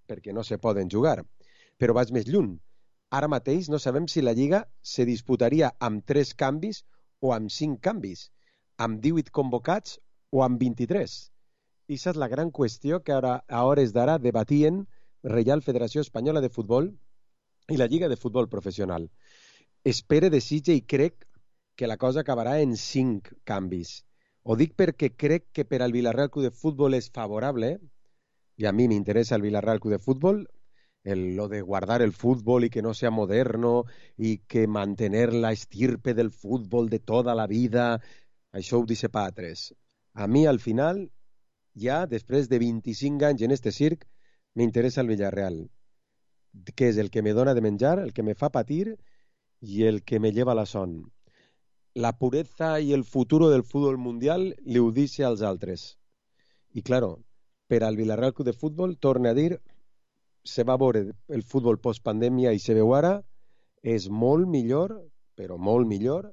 perquè no se poden jugar. Però vaig més lluny. Ara mateix no sabem si la Lliga se disputaria amb 3 canvis o amb 5 canvis, amb 18 convocats o amb 23. I aquesta és la gran qüestió que ara, a hores d'ara debatien Reial Federació Espanyola de Futbol i la Lliga de Futbol Professional. Espere, desitge i crec que la cosa acabarà en 5 canvis. Ho dic perquè crec que per al Villarreal Club de Futbol és favorable, y a mí me interesa el Villarreal Club de Fútbol, lo de guardar el fútbol y que no sea moderno y que mantener la estirpe del fútbol de toda la vida, això ho dice pa a 3. A mi, al final, ja, després de 25 anys en este circ, m'interessa el Villarreal, que és el que me dona de menjar, el que me fa patir y el que me lleva la son. La pureza y el futuro del fútbol mundial li ho dice als altres. I, claro, per al Villarreal Club de Futbol, torna a dir, se va veure el futbol post-pandèmia i se veu ara, és molt millor, però molt millor,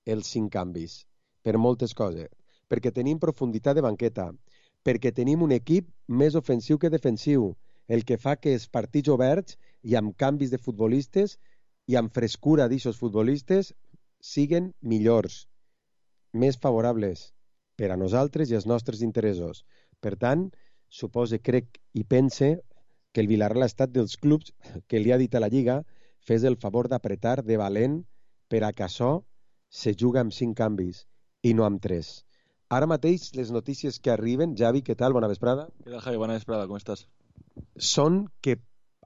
els 5 canvis, per moltes coses. Perquè tenim profunditat de banqueta, perquè tenim un equip més ofensiu que defensiu, el que fa que els partits oberts i amb canvis de futbolistes i amb frescura d'aixos futbolistes siguen millors, més favorables per a nosaltres i els nostres interessos. Per tant, supose, crec i pense que el Villarreal ha estat dels clubs que li ha dit a la Lliga fes el favor d'apretar de valent per a que això se juga amb 5 canvis i no amb 3. Ara mateix les notícies que arriben, Javi, què tal? Bona vesprada. ¿Qué tal, Javi? Buena vesprada, ¿cómo estás? Són que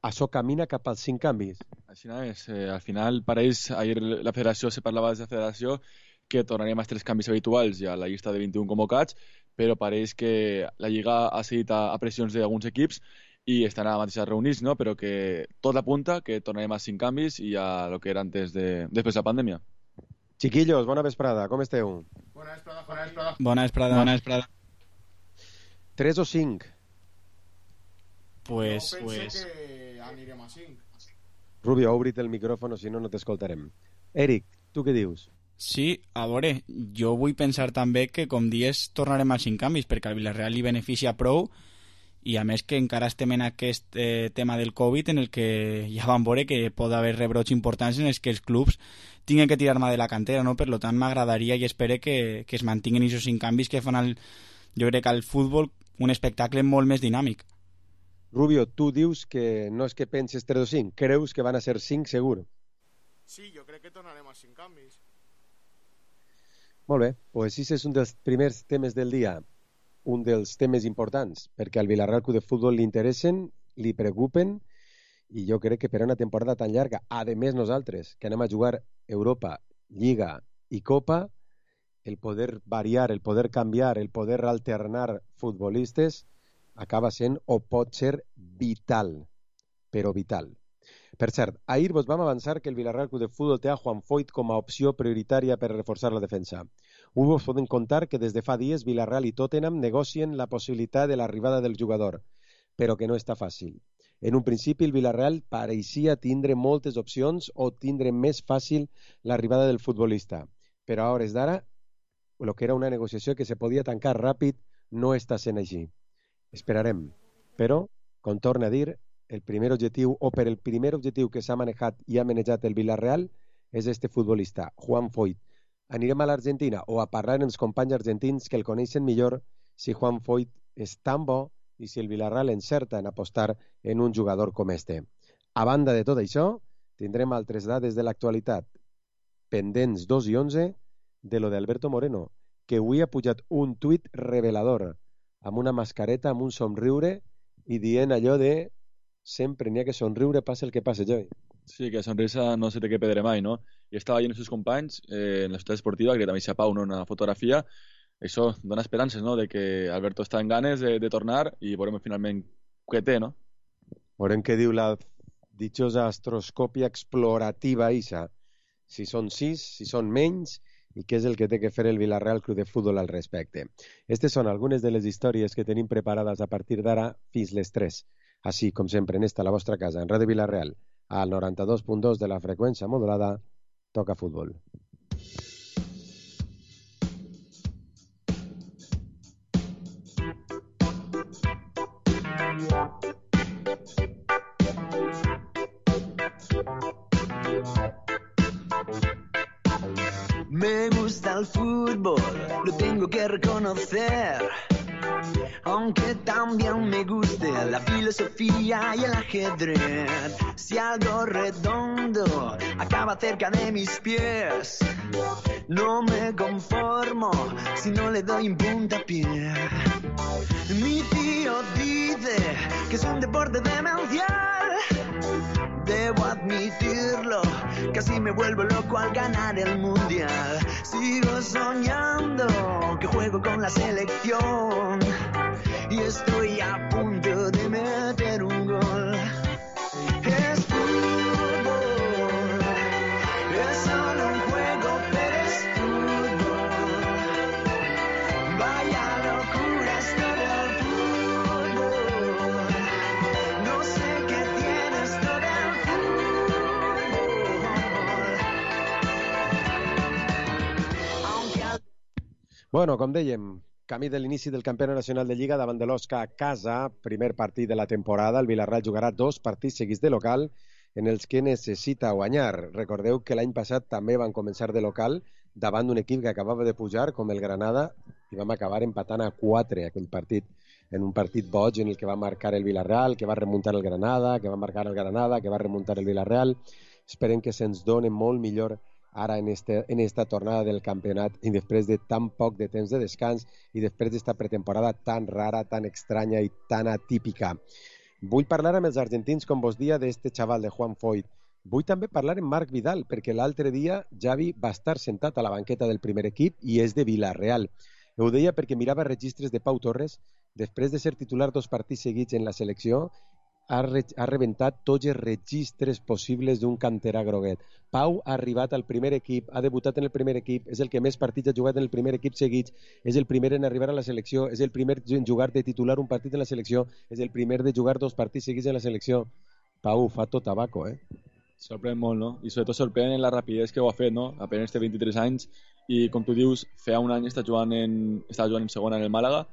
això camina cap als 5 canvis. Al final pareix, ahir la federació se parlava des de la federació que tornarem als 3 canvis habituals i a la llista de 21 convocats, però pareix que la Lliga ha cedit a pressions d'alguns equips i estan ara mateix reunits, no? Però que tot apunta que tornarem a 5 canvis i a lo que era després de la pandèmia. Chiquillos, bona vesprada, com esteu? Bona vesprada. 3 o 5? Pues... que anirem a 5. Rubio, obrit el micròfon, si no, no t'escoltarem. Eric, tu què dius? Sí, a veure, jo vull pensar també que, com dies, tornarem als 5 canvis, perquè al Villarreal li beneficia prou, i a més que encara estem en aquest tema del Covid en el que ja vam veure que pot haver rebrots importants en els que els clubs tinguin que tirar mà de la cantera, no? Per tant, m'agradaria i espero que es mantinguin aquests 5 canvis que fan, jo crec, al futbol un espectacle molt més dinàmic. Rubio, tu dius que no és que penses 3 o 5, creus que van a ser 5 segur? Sí, jo crec que tornarem als 5 canvis. Molt bé, doncs si és un dels primers temes del dia, un dels temes importants, perquè al Villarreal Club de Futbol li interessen, li preocupen, i jo crec que per una temporada tan llarga, a més nosaltres, que anem a jugar Europa, Lliga i Copa, el poder variar, el poder canviar, el poder alternar futbolistes, acaba sent o pot ser vital, però vital. Per cert, ahir vos vam avançar que el Villarreal Club de Futbol té a Juan Foyth com a opció prioritària per reforçar la defensa. Avui vos podem contar que des de fa dies Villarreal i Tottenham negocien la possibilitat de l'arribada del jugador, però que no està fàcil. En un principi el Villarreal pareixia tindre moltes opcions o tindre més fàcil l'arribada del futbolista, però a hores d'ara, el que era una negociació que se podia tancar ràpid, no està sent així. Esperarem, però, com torna a dir, el primer objectiu, o per el primer objectiu que s'ha manejat i ha manejat el Villarreal, és este futbolista, Juan Foyth. Anirem a l'Argentina o a parlar amb els companys argentins que el coneixen millor si Juan Foyth és tan bo i si el Villarreal encerta en apostar en un jugador com este. A banda de tot això, tindrem altres dades de l'actualitat, pendents 2 i 11 de lo d'Alberto Moreno, que avui ha pujat un tuit revelador, amb una mascareta, amb un somriure, i dient allò de sempre n'hi ha que somriure, passa el que passa, Joy. Sí, que la sonrisa no se té que perdre mai, no? I estava veient els seus companys en la ciutat esportiva, que també s'ha Pau, no? Una fotografia. Això dona esperances, no?, de que Alberto està en ganes de tornar i veurem finalment què té, no? Veurem què diu la dichosa astroscòpia explorativa Isa. Si són 6, si són menys, i què és el que té que fer el Villarreal Club de Futbol al respecte. Aquestes són algunes de les històries que tenim preparades a partir d'ara fins les 3. Així, com sempre, en esta la vostra casa, en Ràdio Villarreal, al 92.2 de la freqüència modulada, toca futbol. Me gusta el fútbol, lo tengo que reconocer. Aunque también me guste la filosofía y el ajedrez. Si algo redondo acaba cerca de mis pies, no me conformo si no le doy un puntapié. Mi tío dice que es un deporte demencial. Debo admitirlo, casi me vuelvo loco al ganar el mundial. Sigo soñando que juego con la selección y estoy a punto de meter un gol. Es fútbol, es solo un juego, pero es fútbol. Vaya locura esto del fútbol. No sé qué tiene esto del fútbol. Bueno, com dèiem, camí de l'inici del campionat nacional de Lliga davant de l'Osca a casa, primer partit de la temporada. El Villarreal jugarà 2 partits seguits de local en els que necessita guanyar. Recordeu que l'any passat també van començar de local davant d'un equip que acabava de pujar, com el Granada, i vam acabar empatant a 4 aquell partit, en un partit boig en el que va marcar el Villarreal, que va remuntar el Granada, que va marcar el Granada, que va remuntar el Villarreal. Esperem que se'ns doni molt millor ara en esta tornada del campionat i després de tan poc de temps de descans i després d'esta pretemporada tan rara, tan estranya i tan atípica. Vull parlar amb els argentins, com vos dia, d'este xaval de Juan Foyt. Vull també parlar amb Marc Vidal, perquè l'altre dia Xavi va estar sentat a la banqueta del primer equip i és de Villarreal. Ho deia perquè mirava registres de Pau Torres. Després de ser titular 2 partits seguits en la selecció, ha rebentat tots els registres possibles d'un canterà groguet. Pau ha arribat al primer equip, ha debutat en el primer equip, és el que més partits ha jugat en el primer equip seguits, és el primer en arribar a la selecció, és el primer en jugar de titular un partit en la selecció, és el primer de jugar 2 partits seguits en la selecció. Pau, fa tot tabaco, Sorprèn molt, no? I sobretot sorprèn en la rapidesa que ho ha fet, no? Apenas té 23 anys i, com tu dius, feia un any estava jugant en segona en el Màlaga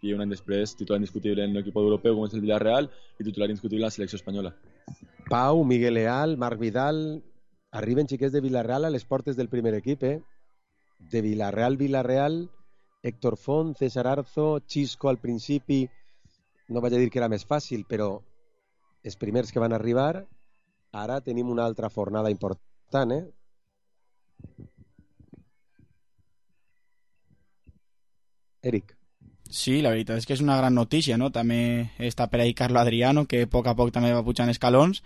i un any després titular indiscutible en l'equip europeu com és el Villarreal i titular indiscutible en la selecció espanyola. Pau, Miguel Leal, Marc Vidal, arriben xiquets de Villarreal a les portes del primer equip, De Villarreal, Héctor Font, César Arzo, Xisco al principi, no vaig a dir que era més fàcil, però els primers que van arribar, ara tenim una altra fornada important, Eric. Sí, la veritat és que és una gran notícia, no? També està per ahí Carlo Adriano, que a poc també va pujant escalons,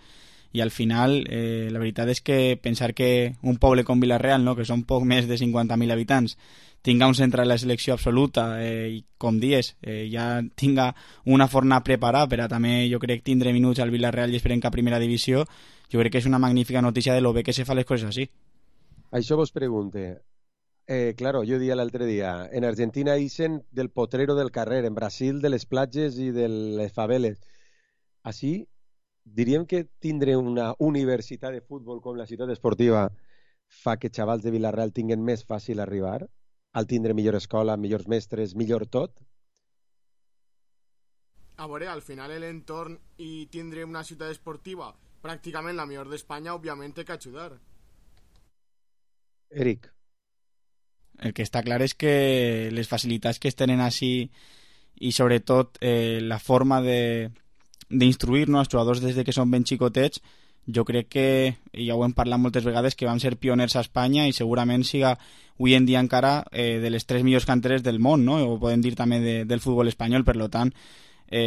i al final la veritat és que pensar que un poble com Villarreal, no? Que són poc més de 50.000 habitants, tinga un centre de la selecció absoluta i, com dius, ja tinga una forna preparada per a també, jo crec, tindre minuts al Villarreal i esperem que a primera divisió, jo crec que és una magnífica notícia de lo bé que se fa les coses així. Això vos pregunte. Claro, yo día l'altre dia, en Argentina dicen del potrero del carrer, en Brasil de les platges i de les faveles. Així, diríem que tindre una universitat de futbol com la ciutat esportiva fa que xavals de Villarreal tinguen més fàcil arribar, al tindre millor escola, millors mestres, millor tot? A veure, al final l'entorn i tindre una ciutat esportiva pràcticament la millor d'Espanya, òbviament té que ajudar. Eric. El que està clar és que les facilitats que es tenen així i sobretot la forma d'instruir-nos als jugadors des de que són ben xicotets, jo crec que, ja ho hem parlat moltes vegades, que vam ser pioners a Espanya i segurament siga avui en dia encara de les 3 millors canteres del món, no? O podem dir també del futbol espanyol. Per tant,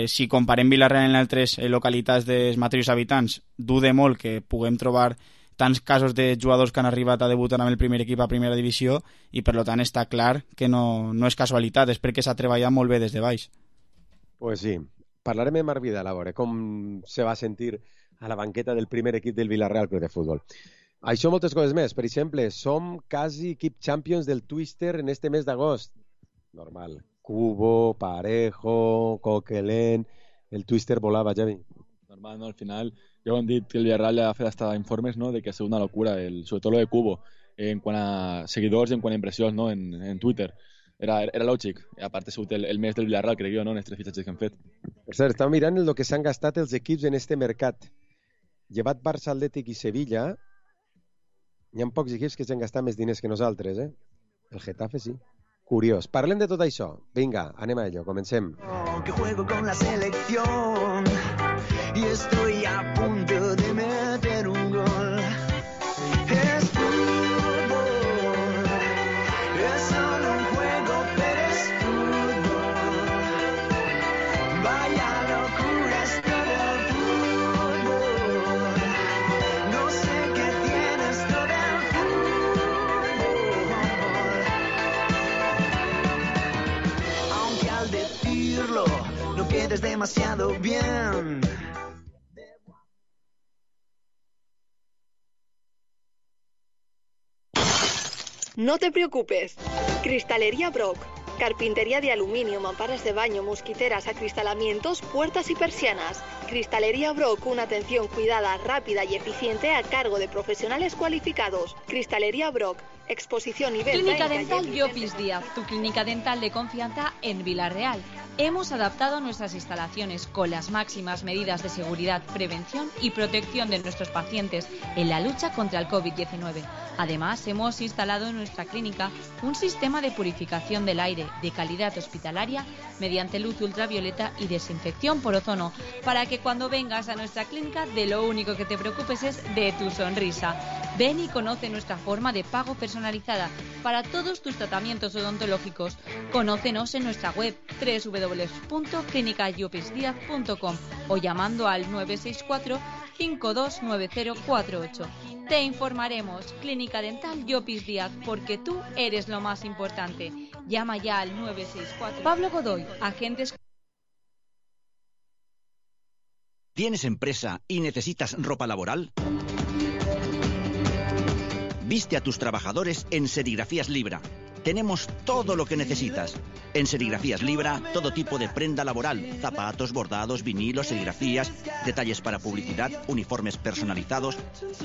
si comparem Villarreal en altres localitats dels mateixos habitants, dude molt que puguem trobar tants casos de jugadors que han arribat a debutar amb el primer equip a primera divisió i per tant està clar que no és casualitat, és perquè s'ha treballat molt bé des de baix. Pues sí, parlarem amb Marc Vidal a veure com se va sentir a la banqueta del primer equip del Villarreal Club de Futbol. Això moltes coses més. Per exemple, som quasi equip champions del Twister en este mes d'agost. Normal. Cubo, Parejo, Coquelin... El Twister volava, Javi. Normal, no? Al final, ja ho hem dit que el Villarreal ja ha fet hasta informes, no? De que ha sigut una locura, sobretot lo de Cubo, en quant a seguidors i en quant a impressions, no? En Twitter. Era lògic. I a part ha sigut el mes del Villarreal, crec jo, no? En els 3 fitxatges que han fet. Per cert, estava mirant el que s'han gastat els equips en este mercat. Llevat Barça, Atlètic i Sevilla, Hi ha pocs equips que s'han gastat més diners que nosaltres, eh? El Getafe sí. Curiós. Parlem de tot això. Vinga, anem a ello, comencem. Que juego con la selección y estoy a punto de meter un gol. Es fútbol, es solo un juego, pero es fútbol. Vaya locura es todo el fútbol. No sé qué tienes todo el fútbol. Aunque al decirlo no quedes demasiado bien. No te preocupes. Cristalería Brock. Carpintería de aluminio, mamparas de baño, mosquiteras, acristalamientos, puertas y persianas. Cristalería Brock, una atención cuidada, rápida y eficiente a cargo de profesionales cualificados. Cristalería Brock. Exposición y venta. Clínica Dental Llopis Díaz, tu clínica dental de confianza en Vila-real. Hemos adaptado nuestras instalaciones con las máximas medidas de seguridad, prevención y protección de nuestros pacientes en la lucha contra el COVID-19. Además, hemos instalado en nuestra clínica un sistema de purificación del aire de calidad hospitalaria mediante luz ultravioleta y desinfección por ozono, para que cuando vengas a nuestra clínica de lo único que te preocupes es de tu sonrisa. Ven y conoce nuestra forma de pago personalizada para todos tus tratamientos odontológicos. Conócenos en nuestra web www.clinicayupisdiaz.com o llamando al 964 529048. Te informaremos. Clínica Dental Llopis Díaz, porque tú eres lo más importante. Llama ya al 964. Pablo Godoy, agentes. ¿Tienes empresa y necesitas ropa laboral? Viste a tus trabajadores en Serigrafías Libra. Tenemos todo lo que necesitas. En Serigrafías Libra, todo tipo de prenda laboral, zapatos, bordados, vinilos, serigrafías, detalles para publicidad, uniformes personalizados.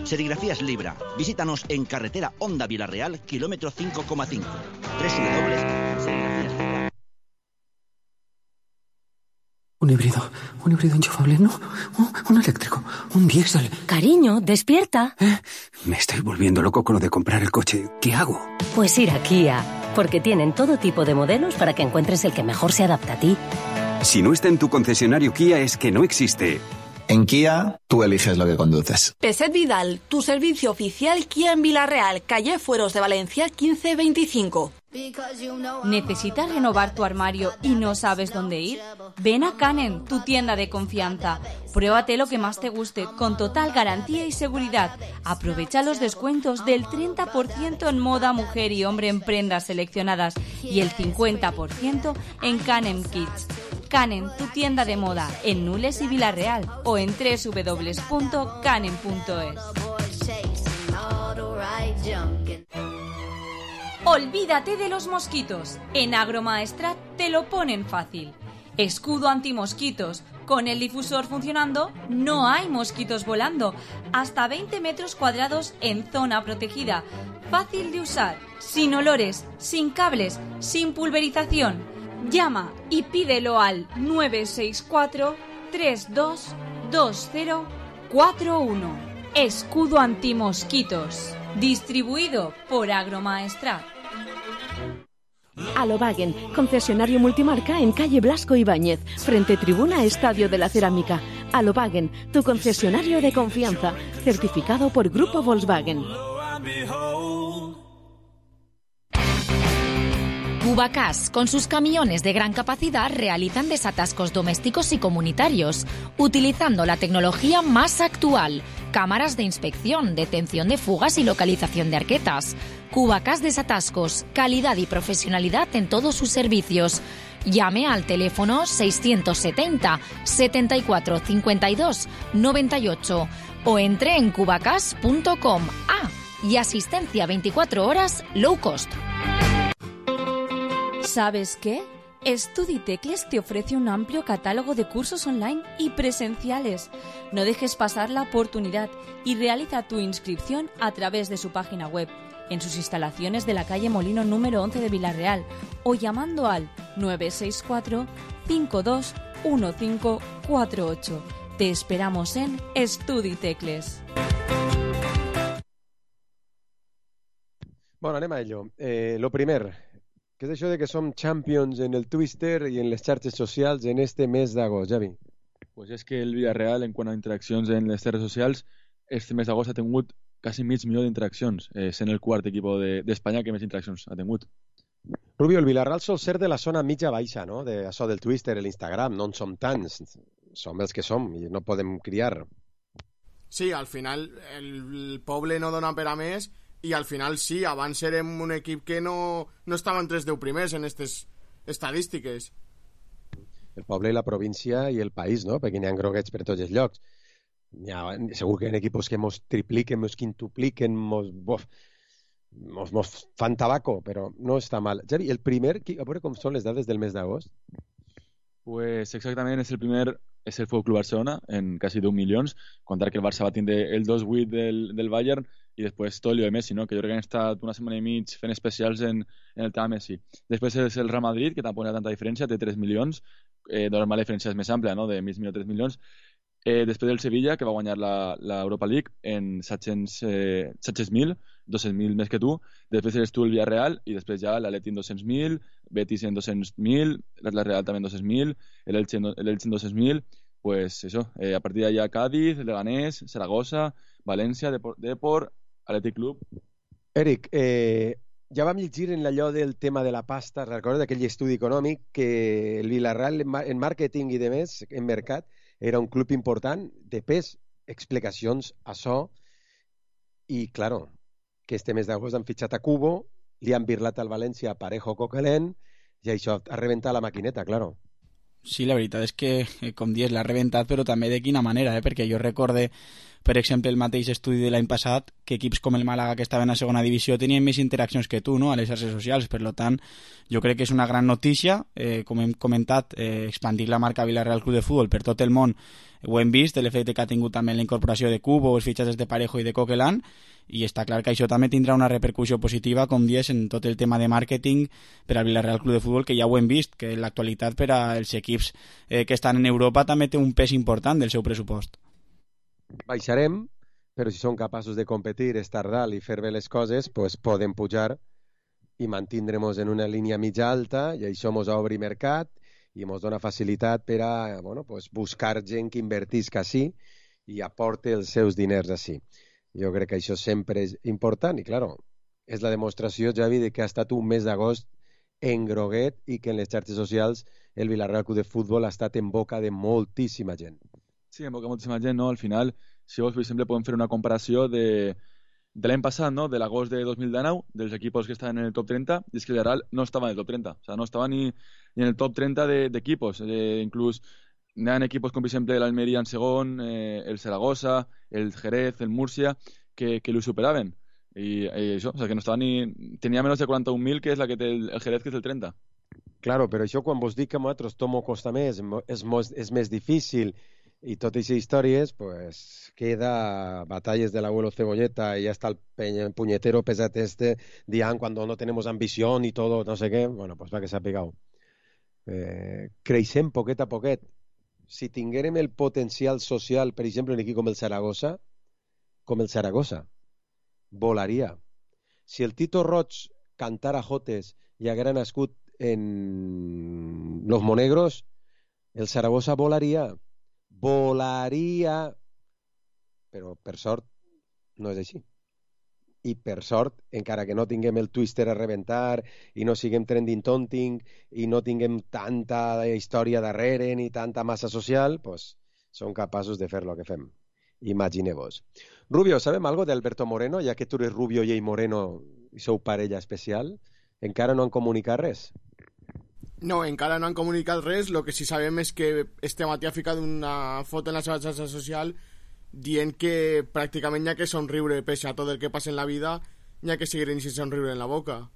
Serigrafías Libra. Visítanos en carretera Honda Vila-real, kilómetro 5,5. www.serigrafíaslibra. Un híbrido enchufable, no, un eléctrico, un diésel. Cariño, despierta. Me estoy volviendo loco con lo de comprar el coche. ¿Qué hago? Pues ir a Kia, porque tienen todo tipo de modelos para que encuentres el que mejor se adapta a ti. Si no está en tu concesionario Kia es que no existe. En Kia, tú eliges lo que conduces. Peset Vidal, tu servicio oficial Kia en Vila-real, calle Fueros de Valencia 1525. ¿Necesitas renovar tu armario y no sabes dónde ir? Ven a Canem, tu tienda de confianza. Pruébate lo que más te guste, con total garantía y seguridad. Aprovecha los descuentos del 30% en moda, mujer y hombre en prendas seleccionadas y el 50% en Canem Kids. Canem, tu tienda de moda, en Nules y Vila-real o en www.canem.es. Olvídate de los mosquitos. En Agromaestrat te lo ponen fácil. Escudo antimosquitos. Con el difusor funcionando, no hay mosquitos volando. Hasta 20 metros cuadrados en zona protegida. Fácil de usar, sin olores, sin cables, sin pulverización. Llama y pídelo al 964 322041. Escudo antimosquitos. Distribuido por Agromaestrat. Alobagen, concesionario multimarca en calle Blasco Ibáñez, frente tribuna Estadio de la Cerámica. Alobagen, tu concesionario de confianza, certificado por Grupo Volkswagen. Cubacas, con sus camiones de gran capacidad, realizan desatascos domésticos y comunitarios, utilizando la tecnología más actual, cámaras de inspección, detención de fugas y localización de arquetas. Cubacas Desatascos, calidad y profesionalidad en todos sus servicios. Llame al teléfono 670 74 52 98 o entre en cubacas.com. Y asistencia 24 horas low cost. ¿Sabes qué? StudiTecles te ofrece un amplio catálogo de cursos online y presenciales. No dejes pasar la oportunidad y realiza tu inscripción a través de su página web, en sus instalaciones de la calle Molino número 11 de Vila-real o llamando al 964 521548. Te esperamos en StudiTecles. Bueno, anem a ello. Lo primer, què és això de que som champions en el Twitter i en les xarxes socials en este mes d'agost, Javi? Pues és que el Villarreal, en quant a interaccions en les xarxes socials, este mes d'agost ha tingut quasi mig milió d'interaccions, sent el quart equip d'Espanya que més interaccions ha tingut. Rubio, el Villarreal sol ser de la zona mitja-baixa, no? De això del Twitter, l'Instagram, no en som tants. Som els que som i no podem criar. Sí, al final el poble no dona per a més i al final sí, abans érem un equip que no estava entre els 10 primers en aquestes estadístiques. El poble i la província i el país, no? Perquè n'hi ha groguets per tots els llocs. Segur que hi ha equipos que mos tripliquen, mos quintupliquen, mos fan tabaco, però no està mal. Javi, el primer, a veure com són les dades del mes d'agost? Pues exactament, és el Futbol Club Barcelona, en quasi 10 milions, contar que el Barça va tindre el 2-8 del Bayern i després tot el de Messi, no? Que jo crec que han estat una setmana i mig fent especials en el tema Messi. Després és el Real Madrid, que tampoc hi ha tanta diferència, té 3 milions, normal la diferència és més àmplia, no? De mig milió a 3 milions. Després el Sevilla, que va guanyar l'Europa League en 700.000, 200.000 més que tu. Després eres tu el Villarreal i després ja l'Atleti en 200.000, Betis en 200.000, la Real també en 200.000, l'Elche en 200.000. Pues eso, a partir d'allà Cádiz, Leganés, Saragossa, València, Depor, Atlètic Club. Eric, ja vam llegir en allò del tema de la pasta, recordes d'aquell estudi econòmic que el Villarreal en màrqueting i de més, en mercat, era un club important, de pes, explicacions a això, i, claro, que este mes d'agost han fitxat a Cubo, li han birlat al València a Parejo Coquelin, i això ha rebentat la maquineta, claro. Sí, la veritat és que, com dius, l'ha rebentat, però també de quina manera, perquè jo recorde, per exemple, el mateix estudi de l'any passat, que equips com el Màlaga, que estaven a segona divisió, tenien més interaccions que tu, no?, a les xarxes socials. Per tant, jo crec que és una gran notícia, com hem comentat, expandir la marca Villarreal Club de Futbol per tot el món. Ho hem vist, l'efecte que ha tingut també la incorporació de Cubo, els fitxatges de Parejo i de Coquelin, i està clar que això també tindrà una repercussió positiva, com dius, en tot el tema de màrqueting per al Villarreal Club de Futbol, que ja ho hem vist, que en l'actualitat per als equips que estan en Europa també té un pes important del seu pressupost. Baixarem, però si són capaços de competir, estar dalt i fer bé les coses, pues podem pujar i mantindrem-nos en una línia mitja alta, i això ens obri mercat i ens dona facilitat per a buscar gent que invertisca així i aporte els seus diners així. Jo crec que això sempre és important i, claro, és la demostració, Javi, de que ha estat un mes d'agost en groguet i que en les xarxes socials el Villarreal Club de Futbol ha estat en boca de moltíssima gent. Sí, en boca de moltíssima gent, no? Al final, si vols, per exemple, podem fer una comparació de l'any passat, no? De l'agost de 2019, dels equipos que estaven en el top 30, i és que el Villarreal no estava en el top 30, o sea, no estava ni en el top 30 d'equipos, inclús hi ha equipos com, per exemple, l'Almeria en segon, el Saragossa, el Jerez, el Múrcia, que lo superaven. I això, o sea, que no estava ni... Tenia menys de 41.000, que és la que té el Jerez, que és el 30. Claro, però això quan vos dic que a nosaltres tomo costa més, és més difícil, y todas esas historias, pues queda batallas del abuelo Cebolleta y hasta el puñetero pesate Dian cuando no tenemos ambición y todo, no sé qué, bueno, pues va que s'ha pegado. Creixem poquet a poquet. Si tinguérem el potencial social, per exemple, un equip com el Saragossa, volaria. Si el Tito Roig cantara jotes i haguera nascut en Los Monegros, el Saragossa volaria, però per sort no és així. I per sort, encara que no tinguem el Twitter a rebentar i no siguem trending topping i no tinguem tanta història darrere ni tanta massa social, pues som capaços de fer lo que fem. Imagineu-vos. Rubio, sabem algo d'Alberto Moreno, ja que tu eres Rubio i ell Moreno i sou parella especial? Encara no han comunicat res? No, encara no han comunicat res. Lo que sí sabem és que este matí ha ficat una foto en la seva xarxa social dient que pràcticament hi ha que somriure pese a tot el que passa en la vida, hi ha que seguir sense somriure en la boca.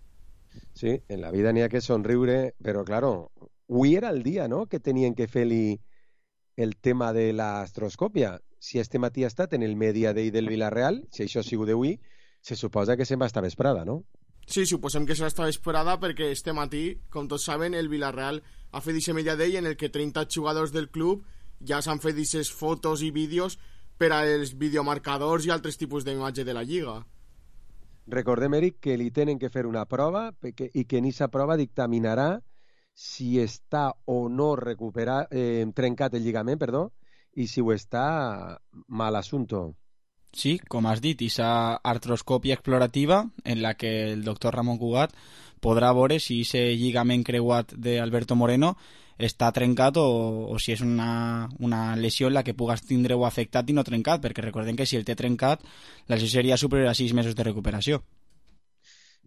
Sí, en la vida n'hi ha que somriure, però claro, avui era el dia, no?, que tenien que fer-li el tema de l'astroscòpia. Si este matí ha estat en el Media Day del Villarreal, si això ha sigut d'avui, se suposa que se'n va estar vesprada, no? Sí, suposem que serà esta vesprada perquè este matí, com tots saben, el Villarreal ha fet aquest Media Day en el que 30 jugadors del club ja s'han fet aquestes fotos i vídeos per als videomarcadors i altres tipus d'imatge de la Lliga. Recordem, Eric, que li tenen que fer una prova i que en aquesta prova dictaminarà si està o no trencat el lligament, i si ho està, mal assunto. Sí, com has dit, esa artroscòpia explorativa en la que el doctor Ramon Cugat podrà veure si ese lligament creuat d'Alberto Moreno està trencat o si és una lesió en la que pugues tindre-ho afectat i no trencat, perquè recordem que si el té trencat, la lesió seria superior a 6 mesos de recuperació.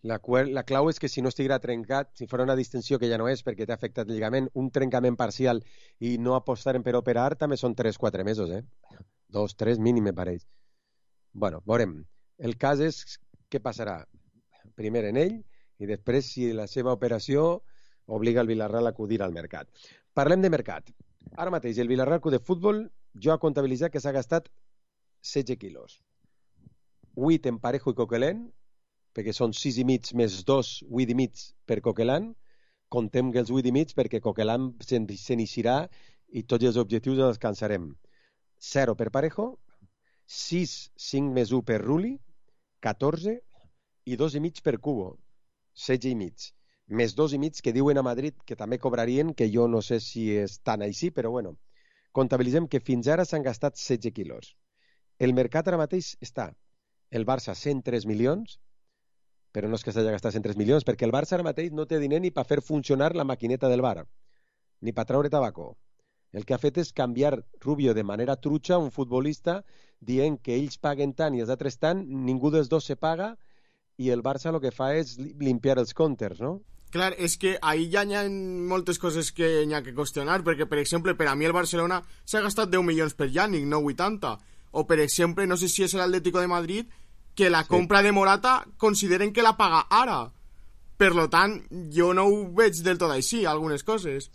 La clau és que si no estiguera trencat, si fos una distensió que ja no és perquè t'ha afectat el lligament, un trencament parcial i no apostaren per operar, també són 3-4 mesos, 2-3 mínim, me pareix. Bueno, veurem. El cas és què passarà primer en ell i després si la seva operació obliga el Villarreal a acudir al mercat. Parlem de mercat. Ara mateix el Villarreal Club de Futbol jo ha comptabilitzat que s'ha gastat 16 quilos. 8 en Parejo i Coquelin, perquè són 6 i mig més 2, 8 i mig per Coquelin. Contem que els 8 i mig perquè Coquelin s'iniciarà i tots els objectius els alcançarem. 0 per Parejo, 6, 5 més 1 per Rulli, 14 i 2 i mig per Cubo, 16 i mig. Més 2 i mig que diuen a Madrid que també cobrarien, que jo no sé si és tan així, però bueno, comptabilitzem que fins ara s'han gastat 16 quilos. El mercat ara mateix està el Barça 103 milions, però no és que s'hagi gastat 103 milions, perquè el Barça ara mateix no té diner ni per fer funcionar la maquineta del bar, ni per treure tabaco. El que ha fet és canviar Rubio de manera trutxa, un futbolista, dient que ells paguen tant i els altres tant, ningú dels dos se paga, i el Barça el que fa és limpiar els comptes, no? Clar, és que ahí ja hi ha moltes coses que hi ha que qüestionar, perquè, per exemple, per a mi el Barcelona s'ha gastat 10 milions per Yannick, no 80. O, per exemple, no sé si és l'Atlético de Madrid, que la compra de Morata consideren que la paga ara. Per lo tant, jo no ho veig del tot així, algunes coses.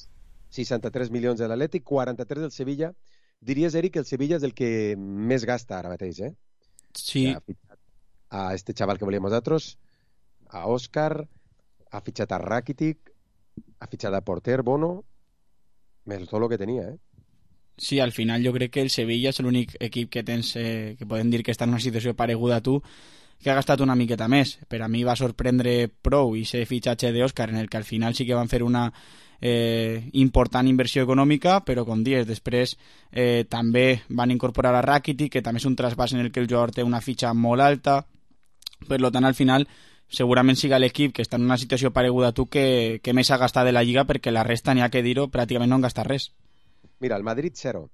63 milions de l'Atlètic, 43 del Sevilla. Diries, Eric, que el Sevilla és el que més gasta ara mateix, Sí. A este chaval que volíem nosaltres, a Òscar, ha fitxat a Rakitic, ha fitxat a Porter, Bono, més tot el que tenia, Sí, al final jo crec que el Sevilla és l'únic equip que tens que podem dir que està en una situació pareguda a tu, que ha gastat una miqueta més. Per a mi va sorprendre prou i ser fitxatge d'Òscar, en el que al final sí que van fer una important inversió econòmica, però com dius, després també van incorporar a Rakitic, que també és un trasbàs en el que el jugador té una fitxa molt alta. Per tant, al final, segurament siga l'equip que està en una situació pareguda a tu que més ha gastat de la Lliga, perquè la resta, n'hi ha que dir-ho, pràcticament no han gastat res. Mira, el Madrid 0,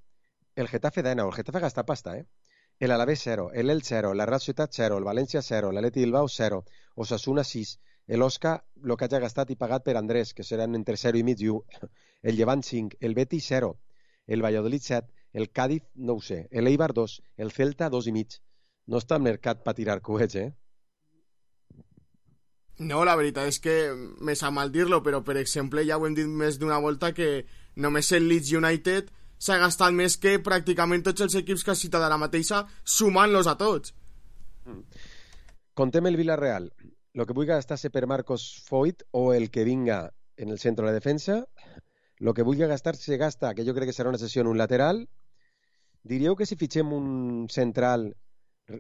el Getafe 19, el Getafe gasta pasta, el Alavés 0, el Elche 0, la Real Societat 0, el València 0, l'Atleti Bilbao 0, Osasuna 6, el Osca, el que hagi gastat i pagat per Andrés, que seran entre 0 i mig i 1, el Llevant 5, el Betis 0, el Valladolid 7, el Cádiz, no ho sé, el Eibar 2, el Celta 2 i mig. No està al mercat per tirar coets, No, la veritat és que me sap mal dir-lo, però per exemple ja ho hem dit més d'una volta que només el Leeds United s'ha gastat més que pràcticament tots els equips que has citat ara mateixa, sumant-los a tots. Contem el Villarreal. Lo que vulgui gastar-se per Marcos Foyt o el que vinga en el centre de la defensa. Lo que vulgui gastar-se gasta, que jo crec que serà una sessió en un lateral. Diríeu que si fitxem un central,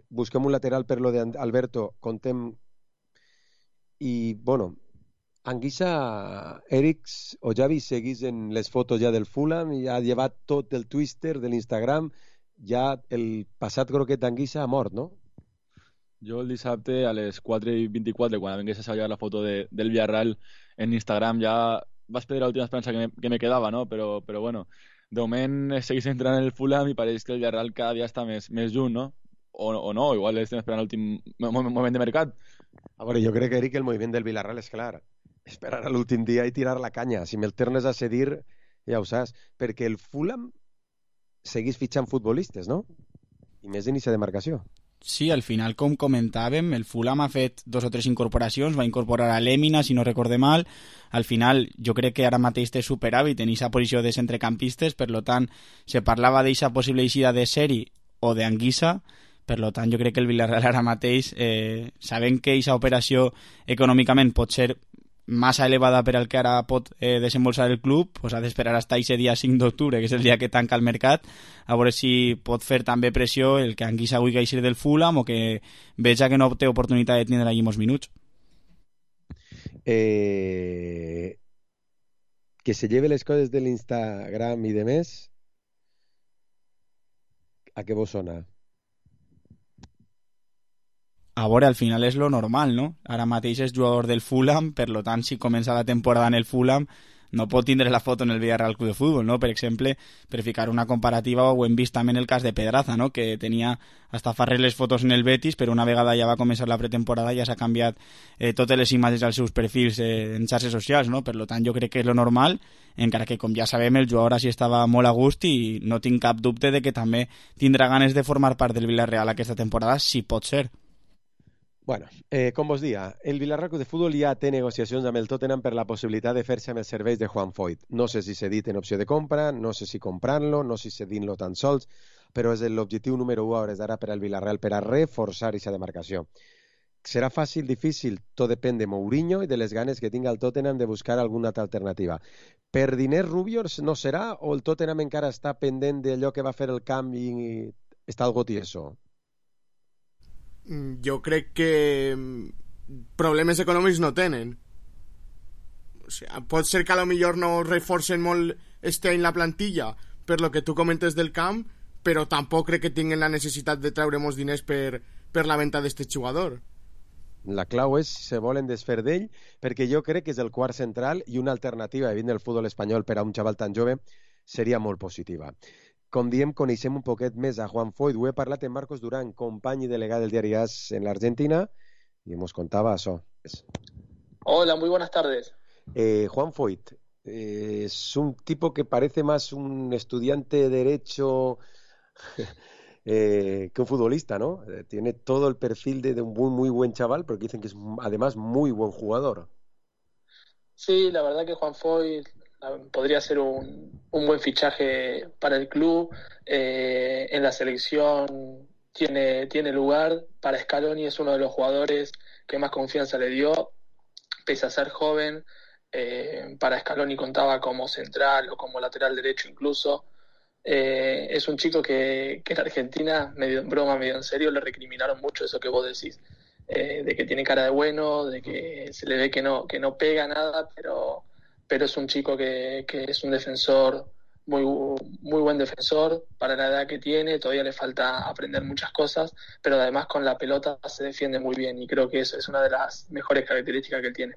busquem un lateral per lo d'Alberto, contem i, bueno, Anguissa, Eric o Javi seguís en les fotos ja del Fulham i ha llevat tot el Twitter de l'Instagram, ja el passat croquet d'Anguissa ha mort, no? Jo el dissabte a les 4:24, quan vengués a salvar la foto del Villarreal en Instagram, ja vaig perdre l'última esperança que me quedava, no? Però bueno, de moment seguís entrant en el Fulham i pareix que el Villarreal cada dia està més junt, no? O no, igual estem esperant l'últim moment de mercat. A veure, jo crec, Eric, que el moviment del Villarreal és clar. Esperar a l'últim dia i tirar la canya. Si me'l tornes a cedir, ja ho saps. Perquè el Fulham seguís fitxant futbolistes, no? I més d'inici de marcació. Sí, al final, com comentàvem, el Fulham ha fet 2 o 3 incorporacions, va incorporar a Lèmina, si no recorde mal. Al final, jo crec que ara mateix té superàvit en aquesta posició de centrecampistes, per tant, se parlava d'aquesta possible eixida de Seri o d'Anguissa. Per tant, jo crec que el Villarreal ara mateix, sabent que aquesta operació econòmicament pot ser massa elevada per al que ara pot desembolsar el club, pues ha d'esperar fins aquest dia 5 d'octubre, que és el dia que tanca el mercat, a veure si pot fer també pressió el que Anguissa vulgui eixir del Fulham o que veja que no té oportunitat de tindre allí molts minuts. Que se lleve les coses de l'Instagram i de més, a què vos sona? A veure, al final és lo normal, no? Ara mateix és jugador del Fulham, per lo tant, si comença la temporada en el Fulham, no pot tindre la foto en el Villarreal Club de Fútbol, no? Per exemple, per ficar una comparativa, ho hem vist també en el cas de Pedraza, no? Que tenia hasta fa res les fotos en el Betis, però una vegada ja va començar la pretemporada ja s'ha canviat totes les imatges als seus perfils en xarxes socials, no? Per lo tant, jo crec que és lo normal, encara que, com ja sabem, el jugador així estava molt a gust i no tinc cap dubte de que també tindrà ganes de formar part del Villarreal aquesta temporada, si pot ser. Bueno, com vos dia, el Villarreal Club de Futbol ja té negociacions amb el Tottenham per la possibilitat de fer-se amb els serveis de Juan Foyth. No sé si cedir en opció de compra, no sé si comprant-lo, no sé si cedint-lo tan sols, però és l'objectiu número 1 a hores d'ara per al Villarreal per a reforçar aquesta demarcació. Serà fàcil, difícil? Tot depèn de Mourinho i de les ganes que tinga el Tottenham de buscar alguna altra alternativa. Per diners Rubios no serà o el Tottenham encara està pendent d'allò que va fer el canvi i està algo tieso? Jo crec que problemes econòmics no tenen. O sigui, pot ser que a lo millor no reforcen molt este any la plantilla per lo que tu comentes del camp, però tampoc crec que tinguin la necessitat de treure molts diners per la venda d'este jugador. La clau és si se volen desfer d'ell, perquè jo crec que és el quart central i una alternativa de el futbol espanyol per a un xaval tan jove seria molt positiva. Com diem, coneixem un poquet més a Juan Foyth. Ho he parlat amb Marcos Durán, company i delegat del diari AS en l'Argentina, i nos contaba això. Hola, muy buenas tardes. Juan Foyth es un tipo que parece más un estudiante de Derecho que un futbolista, ¿no? Tiene todo el perfil de un muy buen chaval, pero dicen que es además muy buen jugador. Sí, la verdad que Juan Foyth podría ser un buen fichaje para el club. En la selección tiene lugar. Para Scaloni es uno de los jugadores que más confianza le dio, pese a ser joven. Para Scaloni contaba como central o como lateral derecho incluso. Es un chico que en Argentina, medio en broma, medio en serio, le recriminaron mucho eso que vos decís, de que tiene cara de bueno, de que se le ve que no pega nada, pero es un chico que es un defensor, muy buen defensor para la edad que tiene. Todavía le falta aprender muchas cosas, pero además con la pelota se defiende muy bien y creo que eso es una de las mejores características que él tiene.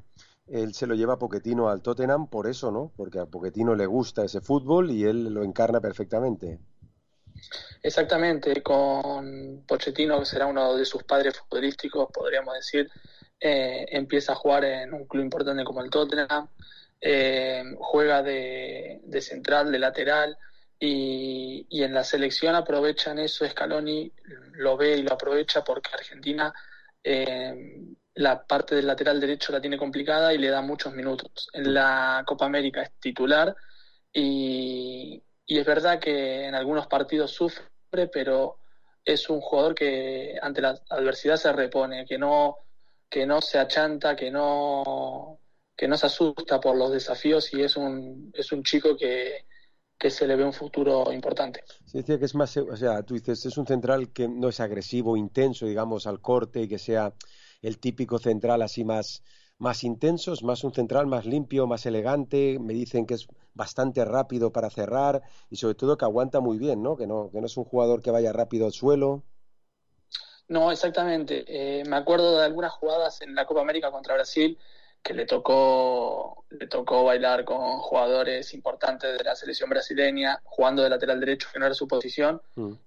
Él se lo lleva a Pochettino al Tottenham por eso, ¿no? Porque a Pochettino le gusta ese fútbol y él lo encarna perfectamente. Exactamente, con Pochettino, que será uno de sus padres futbolísticos, podríamos decir, empieza a jugar en un club importante como el Tottenham. Juega de central, de lateral y en la selección aprovechan eso. Scaloni lo ve y lo aprovecha porque Argentina la parte del lateral derecho la tiene complicada y le da muchos minutos. En la Copa América es titular y es verdad que en algunos partidos sufre, pero es un jugador que ante la adversidad se repone, que no se achanta, que no se asusta por los desafíos y es un chico que se le ve un futuro importante. Sí, decía que es más, o sea, tú dices, es un central que no es agresivo, intenso, digamos, al corte y que sea el típico central así más intenso, es más un central más limpio, más elegante. Me dicen que es bastante rápido para cerrar y sobre todo que aguanta muy bien, ¿no? Que no es un jugador que vaya rápido al suelo. No, exactamente. Me acuerdo de algunas jugadas en la Copa América contra Brasil que le tocó bailar con jugadores importantes de la selección brasileña, jugando de lateral derecho, que no era su posición,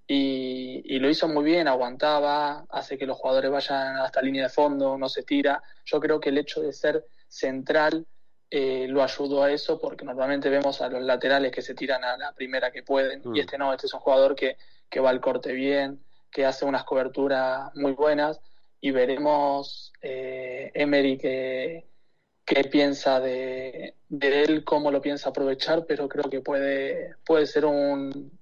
y lo hizo muy bien, aguantaba, hace que los jugadores vayan hasta línea de fondo, no se tira. Yo creo que el hecho de ser central lo ayudó a eso, porque normalmente vemos a los laterales que se tiran a la primera que pueden, y este es un jugador que va al corte bien, que hace unas coberturas muy buenas, y veremos Emery qué piensa de él, cómo lo piensa aprovechar, pero creo que puede ser un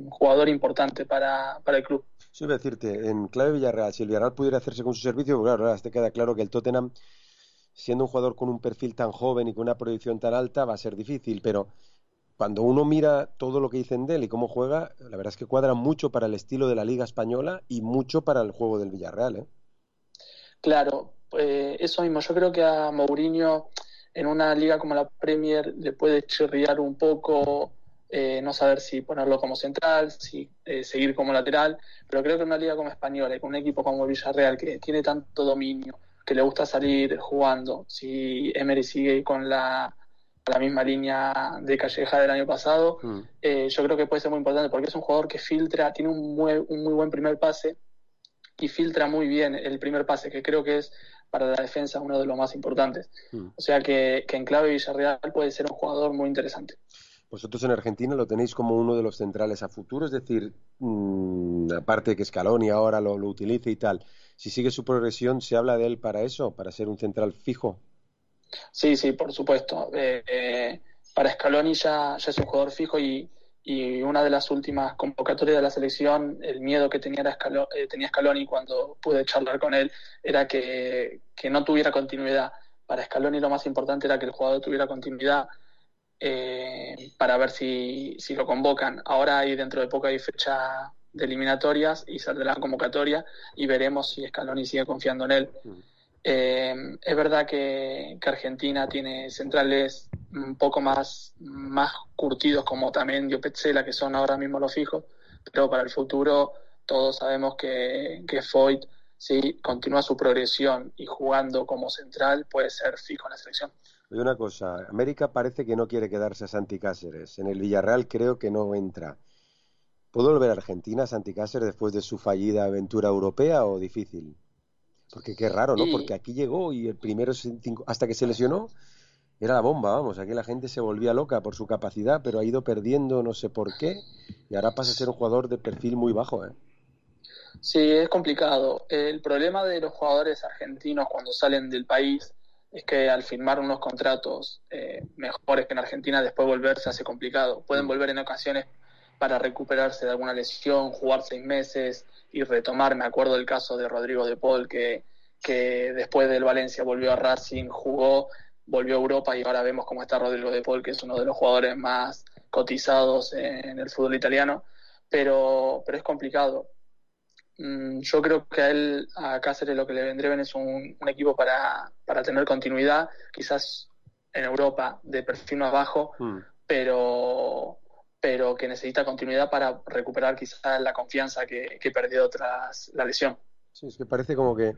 jugador importante para el club. Sí, voy a decirte, en clave Villarreal, si el Villarreal pudiera hacerse con su servicio, claro, ahora te queda claro que el Tottenham siendo un jugador con un perfil tan joven y con una proyección tan alta, va a ser difícil, pero cuando uno mira todo lo que dicen de él y cómo juega, la verdad es que cuadra mucho para el estilo de la Liga Española y mucho para el juego del Villarreal, ¿eh? Claro, eso mismo. Yo creo que a Mourinho en una liga como la Premier le puede chirriar un poco, no saber si ponerlo como central, si seguir como lateral, pero creo que en una liga como Española y con un equipo como el Villarreal que tiene tanto dominio, que le gusta salir jugando, si Emery sigue con la misma línea de Calleja del año pasado, yo creo que puede ser muy importante porque es un jugador que filtra, tiene un muy buen primer pase y filtra muy bien el primer pase, que creo que es para la defensa uno de los más importantes. O sea que en clave Villarreal puede ser un jugador muy interesante. Vosotros en Argentina lo tenéis como uno de los centrales a futuro, es decir, aparte de que Scaloni ahora lo utilice y tal, si sigue su progresión, ¿se habla de él para eso, para ser un central fijo? Sí, por supuesto. Para Scaloni ya es un jugador fijo y una de las últimas convocatorias de la selección, el miedo que tenía Scaloni cuando pude charlar con él era que no tuviera continuidad. Para Scaloni lo más importante era que el jugador tuviera continuidad para ver si lo convocan. Ahora dentro de poco hay fecha de eliminatorias y saldrá la convocatoria y veremos si Scaloni sigue confiando en él. Es verdad que Argentina tiene centrales un poco más curtidos como también Petzela, que son ahora mismo los fijos, pero para el futuro todos sabemos que Foyt, si continúa su progresión y jugando como central, puede ser fijo en la selección. Oye, una cosa, América parece que no quiere quedarse a Santi Cáceres, en el Villarreal creo que no entra. ¿Puede volver a Argentina Santi Cáceres después de su fallida aventura europea o difícil? Porque qué raro, ¿no? Porque aquí llegó y el primero, hasta que se lesionó, era la bomba, vamos. Aquí la gente se volvía loca por su capacidad, pero ha ido perdiendo no sé por qué y ahora pasa a ser un jugador de perfil muy bajo, ¿eh? Sí, es complicado. El problema de los jugadores argentinos cuando salen del país es que al firmar unos contratos mejores que en Argentina, después volver se hace complicado. Pueden volver en ocasiones para recuperarse de alguna lesión, jugar 6 meses y retomar. Me acuerdo del caso de Rodrigo de Paul, que después del Valencia volvió a Racing, jugó, volvió a Europa y ahora vemos cómo está Rodrigo de Paul, que es uno de los jugadores más cotizados en el fútbol italiano, pero es complicado. Yo creo que a Cáceres lo que le vendría bien es un equipo para tener continuidad, quizás en Europa de perfil más bajo, pero que necesita continuidad para recuperar quizás la confianza que perdió tras la lesión. Sí, es que parece como que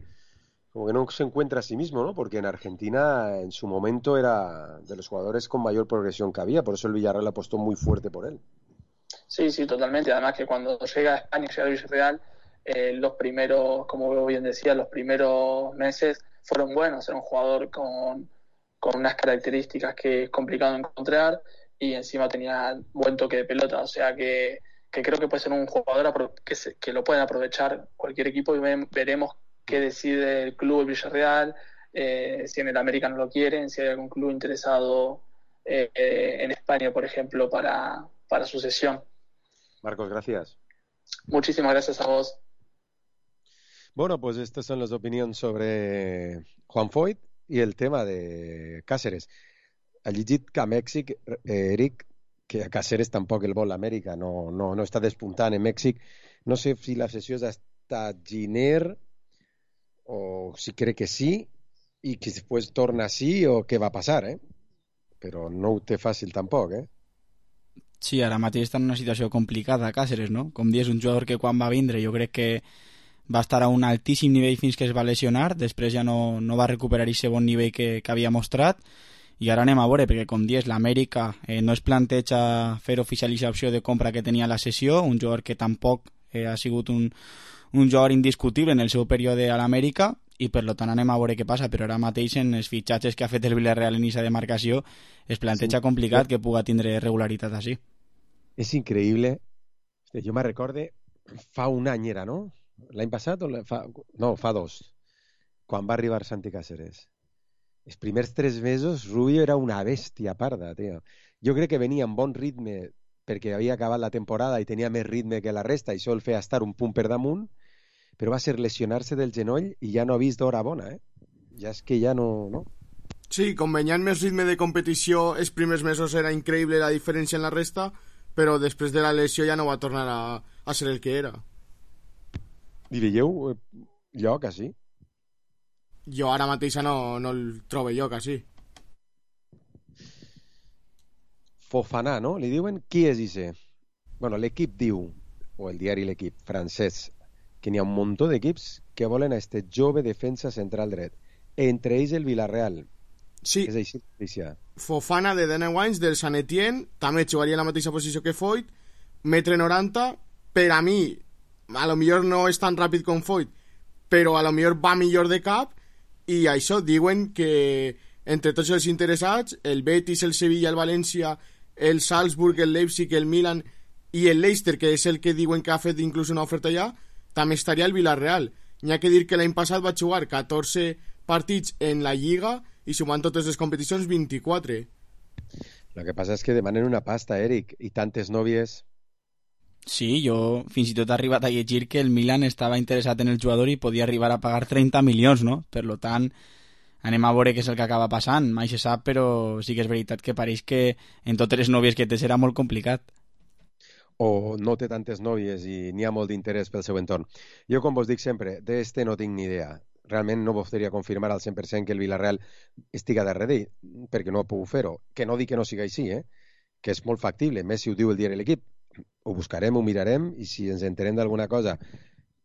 no se encuentra a sí mismo, ¿no? Porque en Argentina en su momento era de los jugadores con mayor progresión que había, por eso el Villarreal apostó muy fuerte por él. Sí, totalmente. Además que cuando llega a España, llega al Villarreal, los primeros, como bien decía, los primeros meses fueron buenos. Era un jugador con unas características que es complicado encontrar y encima tenía buen toque de pelota, o sea que creo que puede ser un jugador que lo pueden aprovechar cualquier equipo y veremos qué decide el club, el Villarreal, si en el América no lo quieren, si hay algún club interesado en España, por ejemplo, para su cesión. Marcos, gracias. Muchísimas gracias a vos. Bueno, pues estas son las opiniones sobre Juan Foyt y el tema de Cáceres. Ha llegit que a Mèxic, Eric, que a Cáceres tampoc el vol l'Amèrica, no està despuntant en Mèxic. No sé si la sessió és hasta Giner o si crec que sí i que després torna sí o què va passar, eh? Però no ho té fàcil tampoc, eh? Sí, ara mateix està en una situació complicada Cáceres, no? Com dius, un jugador que quan va vindre jo crec que va estar a un altíssim nivell fins que es va lesionar, després ja no va recuperar aquest bon nivell que havia mostrat. I ara anem a veure, perquè com dius, l'Amèrica no es planteja fer oficial aquesta opció de compra que tenia la sessió, un jugador que tampoc ha sigut un jugador indiscutible en el seu període a l'Amèrica, i per tant anem a veure què passa, però ara mateix en els fitxatges que ha fet el Villarreal en aquesta demarcació es planteja complicat que puga tindre regularitat així. És increïble. Jo me recorde, fa un any era, no? L'any passat? Fa 2, quan va arribar Santi Cáceres. Els primers 3 mesos Rubio era una bèstia parda, tio. Jo crec que venia en bon ritme perquè havia acabat la temporada i tenia més ritme que la resta i això el feia estar un punt per damunt, però va ser lesionar-se del genoll i ja no ha vist d'hora bona, eh? Ja és que ja no... Sí, com venyant més ritme de competició, els primers mesos era increïble la diferència en la resta, però després de la lesió ja no va tornar a ser el que era. I veieu lloc, així? Jo ara mateix no el trobo lloc, així. Fofana, no? Li diuen qui és ixe? Bueno, l'equip diu, o el diari L'Equip francès, que n'hi ha un muntó d'equips que volen a este jove defensa central dret. Entre ells el Villarreal. Sí. És així, Alicia. Fofana, de 19 anys, del Sant Etienne, també jugaria en la mateixa posició que Foyt, 1,90 m. Per a mi, a lo millor no és tan ràpid com Foyt, però a lo millor va millor de cap, i això, diuen que entre tots els interessats, el Betis, el Sevilla, el València, el Salzburg, el Leipzig, el Milan i el Leicester, que és el que diuen que ha fet inclús una oferta allà, també estaria el Villarreal. N'hi ha que dir que l'any passat va jugar 14 partits en la Lliga i sumant totes les competicions 24. Lo que passa és que demanen una pasta, Eric, i tantes nòvies. Sí, jo fins i tot he arribat a llegir que el Milan estava interessat en el jugador i podia arribar a pagar 30 milions, no? Per lo tant, anem a veure què és el que acaba passant. Mai se sap, però sí que és veritat que pareix que en totes les nòvies que té serà molt complicat. O no té tantes nòvies i n'hi ha molt d'interès pel seu entorn. Jo, com vos dic sempre, d'este no tinc ni idea. Realment no vos podria confirmar al 100% que el Villarreal estiga darrere, perquè no ha pogut fer-ho. Que no dic que no siga així, que és molt factible. Més si ho diu el diari L'Equip. Ho buscarem, ho mirarem, i si ens enterem d'alguna cosa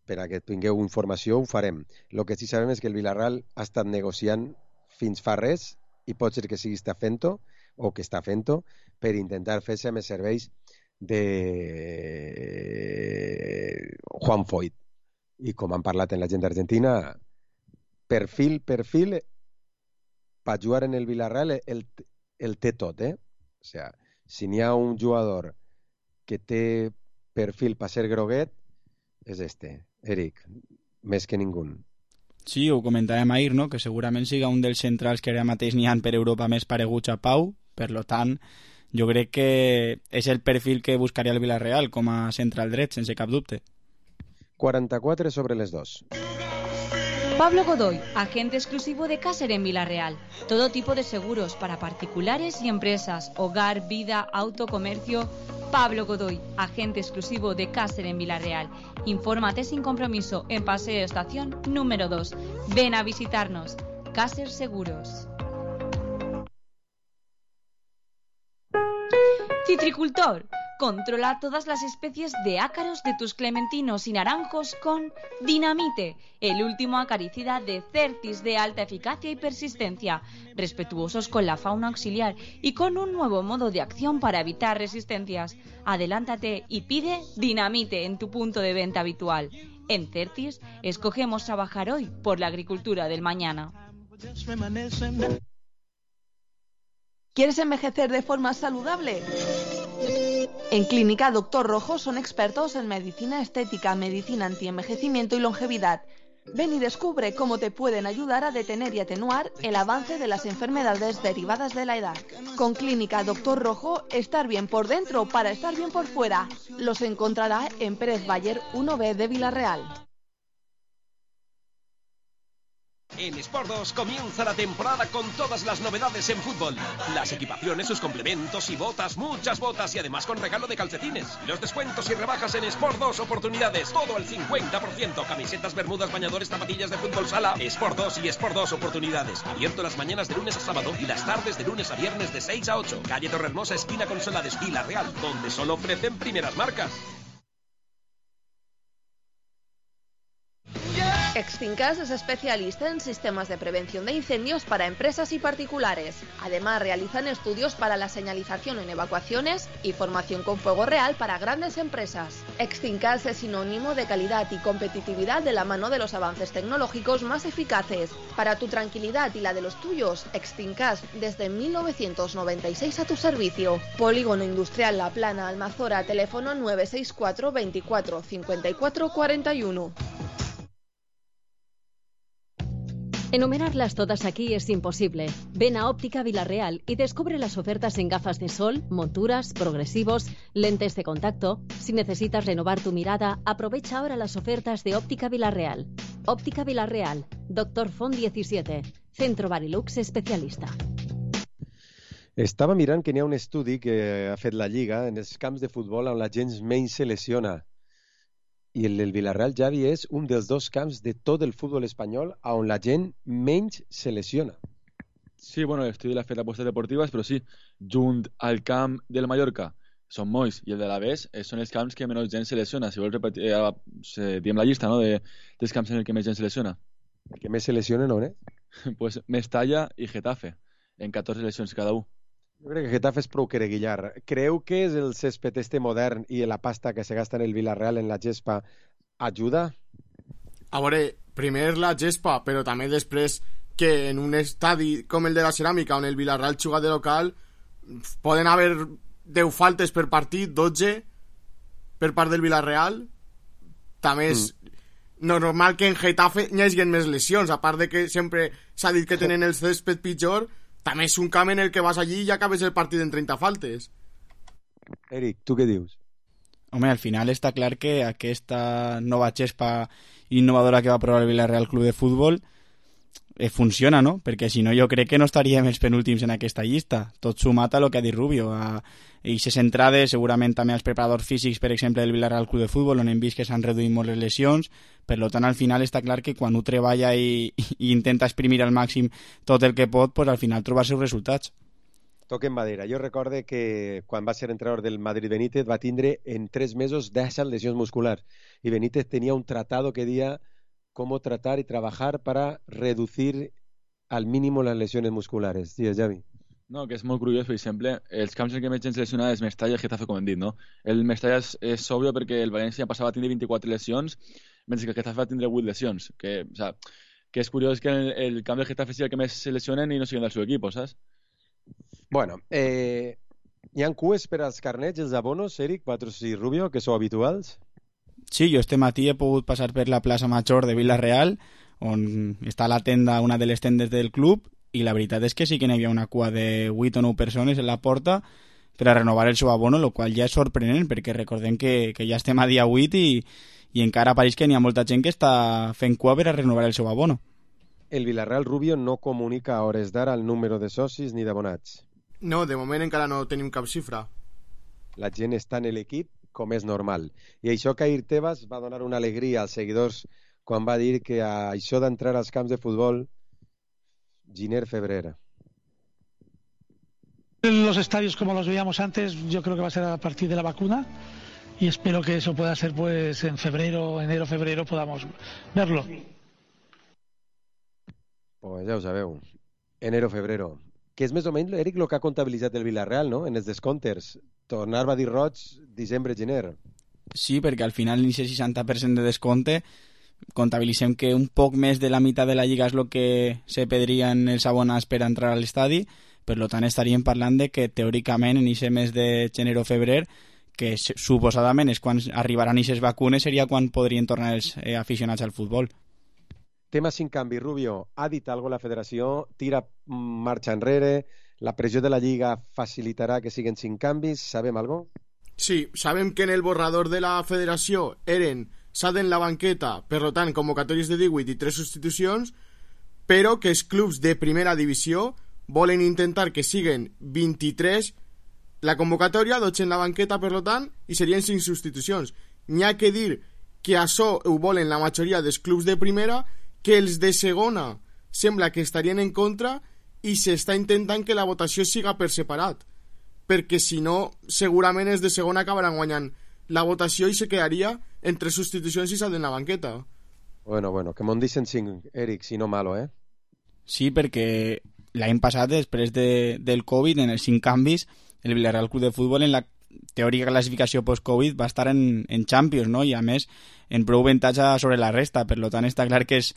per a que tingueu informació, ho farem. El que sí sabem és que el Villarreal ha estat negociant fins fa res, i pot ser que sigui està fent-ho, o que està fent-ho, per intentar fer-se més serveis de Juan Foyt. I com han parlat en la gent d'Argentina, perfil per jugar en el Villarreal el té tot, O sea, si n'hi ha un jugador que té perfil per ser groguet, és este, Eric, més que ningú. Sí, ho comentàvem ahir, no? Que segurament siga un dels centrals que ara mateix n'hi ha per Europa més pareguts a Pau, per lo tant, jo crec que és el perfil que buscaria el Villarreal com a central dret, sense cap dubte. 44 sobre les 2. Pablo Godoy, agente exclusivo de Caser en Villarreal. Todo tipo de seguros para particulares y empresas, hogar, vida, auto, comercio. Pablo Godoy, agente exclusivo de Caser en Villarreal. Infórmate sin compromiso en Paseo Estación número 2. Ven a visitarnos. Caser Seguros. Citricultor. Controla todas las especies de ácaros de tus clementinos y naranjos con Dinamite, el último acaricida de Cercis de alta eficacia y persistencia, respetuosos con la fauna auxiliar y con un nuevo modo de acción para evitar resistencias. Adelántate y pide Dinamite en tu punto de venta habitual. En Cercis, escogemos trabajar hoy por la agricultura del mañana. ¿Quieres envejecer de forma saludable? En Clínica Doctor Rojo son expertos en medicina estética, medicina antienvejecimiento y longevidad. Ven y descubre cómo te pueden ayudar a detener y atenuar el avance de las enfermedades derivadas de la edad. Con Clínica Doctor Rojo, estar bien por dentro para estar bien por fuera. Los encontrará en Pérez Bayer 1B de Villarreal. En Sport 2 comienza la temporada con todas las novedades en fútbol. Las equipaciones, sus complementos y botas, muchas botas y además con regalo de calcetines. Los descuentos y rebajas en Sport 2 oportunidades, todo al 50%. Camisetas, bermudas, bañadores, zapatillas de fútbol sala. Sport 2 y Sport 2 oportunidades. Abierto las mañanas de lunes a sábado y las tardes de lunes a viernes de 6 a 8. Calle Torrehermosa, esquina con Solades, Villarreal, donde solo ofrecen primeras marcas. Extincas es especialista en sistemas de prevención de incendios para empresas y particulares. Además, realizan estudios para la señalización en evacuaciones y formación con fuego real para grandes empresas. Extincas es sinónimo de calidad y competitividad de la mano de los avances tecnológicos más eficaces. Para tu tranquilidad y la de los tuyos, Extincas desde 1996 a tu servicio. Polígono Industrial La Plana, Almazora, teléfono 964 24 54 41. Enumerarlas todas aquí es imposible. Ven a Óptica Villarreal y descubre las ofertas en gafas de sol, monturas, progresivos, lentes de contacto. Si necesitas renovar tu mirada, aprovecha ahora las ofertas de Óptica Villarreal. Óptica Villarreal, Doctor Font 17. Centro Barilux especialista. Estava mirant que n'hi ha un estudi que ha fet la Lliga en els camps de futbol on la gent menys se lesiona. I el Villarreal, Javi, és un dels 2 camps de tot el futbol espanyol on la gent menys se lesiona. Sí, bueno, l'estudi l'ha fet apostes deportives, però sí, junt al camp del Mallorca, Son Moix i el de l'Aves, són els camps que menys gent se lesiona. Si vols repetir, diem la llista, no?, dels camps en el que més gent se lesiona. El que més se lesiona, no, Pues Mestalla i Getafe, en 14 lesions cada un. Jo crec que Getafe és prou quereguillar. Creu que és el césped este modern i la pasta que se gasta en el Villarreal en la gespa ajuda? A veure, primer la gespa, però també després que en un estadi com el de la Ceràmica, on el Villarreal juga de local, poden haver 10 faltes per partit, 12 per part del Villarreal. També és normal que en Getafe hi hagi més lesions, a part de que sempre s'ha dit que tenen el césped pitjor. També és un camp en el que vas allí i acabes el partit en 30 faltes. Eric, tu què dius? Home, al final està clar que aquesta nova gespa innovadora que va provar el Villarreal Club de Futbol funciona, no? Perquè si no jo crec que no estaríem els penúltims en aquesta llista. Tot sumat a lo que ha dit Rubio. I se centrada segurament també als preparadors físics, per exemple, del Villarreal Club de Futbol, on hem vist que s'han reduït molt les lesions. Per tant, al final està clar que quan ho treballa i intenta exprimir al màxim tot el que pot, pues al final trobar els seus resultats. Toquen madera. Jo recorde que quan va ser entrenador del Madrid Benítez va tindre en 3 mesos 10 lesions musculars. I Benítez tenia un tratado que deia cómo tratar y trabajar para reducir al mínimo las lesiones musculares. Digues, Javi. No, que és molt curiós, per exemple, els camps en què més gent se lesiona és Mestalla i Getafe, com hem dit, no? El Mestalla és òbvio perquè el València passava a tindre 24 lesions, mentre que el Getafe va tindre 8 lesions. Que és curiós que el camp del Getafe sigui el que més se lesionen i no siguin del seu equip, saps? Bueno, hi ha cues per als carnets, els abonos, Eric, Patros i Rubio, que sou habituals? Sí, jo este matí he pogut passar per la plaça Major de Vila-real, on està la tenda, una de les tendes del club, i la veritat és que sí que n'hi havia una cua de 8 o 9 persones en la porta per a renovar el seu abono, el qual ja és sorprenent, perquè recordem que ja estem a dia 8 i encara pareix que n'hi ha molta gent que està fent cua per a renovar el seu abono. El Villarreal, Rubio, no comunica a hores d'ara el número de socis ni d'abonats. No, de moment encara no tenim cap xifra. La gent està en l'equip com és normal. I això que Ahir Tebas va donar una alegria als seguidors quan va dir que això d'entrar als camps de futbol Giner-Febrer. Los estadios como los veíamos antes, yo creo que va a ser a partir de la vacuna y espero que eso pueda ser pues en febrero, enero, febrero podamos verlo. Pues ja ho sabeu, enero, febrero. Que és més o menys, Eric, el que ha comptabilitzat el Villarreal, no?, en els descomptes. Tornar va dir roig, desembre, gener. Sí, perquè al final l'inici 60% de descompte, comptabilitzem que un poc més de la meitat de la Lliga és el que se pedrien els abonats per entrar a l'estadi, per tant estaríem parlant de que teòricament en aquest mes de gener o febrer, que suposadament és quan arribaran aquestes vacunes, seria quan podrien tornar els aficionats al futbol. Tema sin canvi, Rubio. Ha dit alguna la federació? Tira marxa enrere? La pressió de la Lliga facilitarà que siguin 5 canvis? Sabem alguna cosa? Sí, sabem que en el borrador de la federació eren s'ha en la banqueta, per tant, convocatòries de 18 i 3 substitucions, però que els clubs de primera divisió volen intentar que siguen 23 la convocatòria, 12 en la banqueta, per tant, i serien 5 substitucions. N'hi ha que dir que això ho volen la majoria dels clubs de primera, que els de segona sembla que estarien en contra i s'està intentant que la votació siga per separat, perquè si no segurament els de segona acabaran guanyant la votació i se quedaria entre substitucions i s'ha de la banqueta. Bueno, que m'ho deixen 5, Eric, si no malo, eh? Sí, perquè l'any passat, després del Covid, en els 5 canvis, el Villarreal Club de Futbol en la teòrica classificació post-Covid va estar en Champions, no? I a més en prou avantatge sobre la resta, per tant està clar que és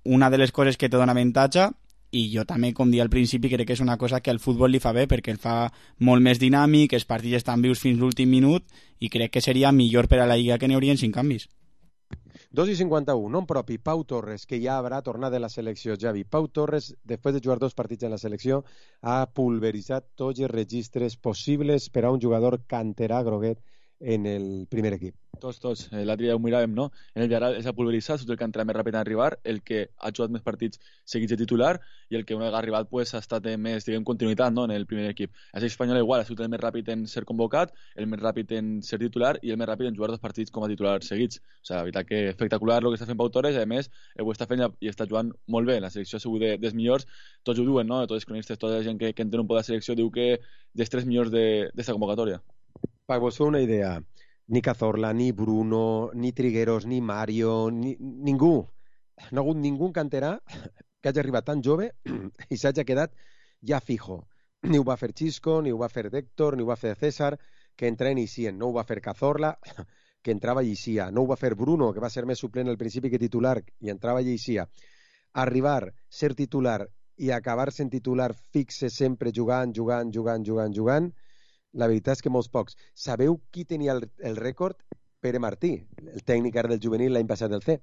una de les coses que te dona avantatge, i jo també, com dia al principi, crec que és una cosa que al futbol li fa bé, perquè el fa molt més dinàmic, els partits estan vius fins l'últim minut, i crec que seria millor per a la Lliga que n'hi haurien 5 canvis. 2:51, nom propi, Pau Torres, que ja haurà tornat de la selecció, Javi. Pau Torres, després de jugar 2 partits en la selecció, ha pulveritzat tots els registres possibles per a un jugador canterà groguet en el primer equip. Tots. L'altre dia ho miràvem, no? En el Villarreal és a pulveritzar, surt el que entra més ràpid en arribar, el que ha jugat més partits seguits de titular i el que una vegada ha arribat pues, ha estat més, diguem, continuïtat, no? En el primer equip. És espanyol igual, ha sigut el més ràpid en ser convocat, el més ràpid en ser titular i el més ràpid en jugar 2 partits com a titular seguits. O sigui, la veritat que espectacular el que està fent Pau Torres, i a més ho està fent i està jugant molt bé. La selecció ha sigut dels millors, tots ho diuen, no? Tots els cronistes, tota la gent que entén un poc la selecció diu que dels 3 millors d'esta convocatòria. Per vos fer una idea, ni Cazorla, ni Bruno, ni Trigueros, ni Mario, ningú. No ha hagut ningú canterà que hagi arribat tan jove i s'hagi quedat ja fijo. Ni ho va fer Xisco, ni ho va fer Héctor, ni ho va fer César, que entra en Icien. No ho va fer Cazorla, que entrava i eixia. No ho va fer Bruno, que va ser més suplent al principi que titular, i entrava i eixia. Arribar, ser titular i acabar sent titular fixe sempre jugant, la veritat és que molts pocs. Sabeu qui tenia el rècord? Pere Martí, el tècnic ara del juvenil l'any passat del C,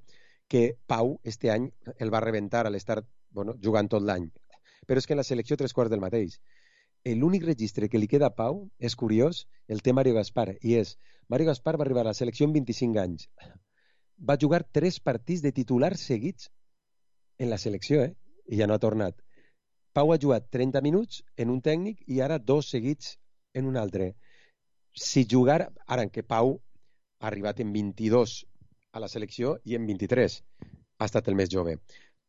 que Pau este any el va rebentar a l'estar jugant tot l'any. Però és que en la selecció 3/4 del mateix. L'únic registre que li queda a Pau, és curiós, el té Mario Gaspar, i és, Mario Gaspar va arribar a la selecció amb 25 anys. Va jugar 3 partits de titular seguits en la selecció, i ja no ha tornat. Pau ha jugat 30 minuts en un tècnic i ara 2 seguits en un altre. Si jugar, ara en què Pau ha arribat en 22 a la selecció i en 23 ha estat el més jove.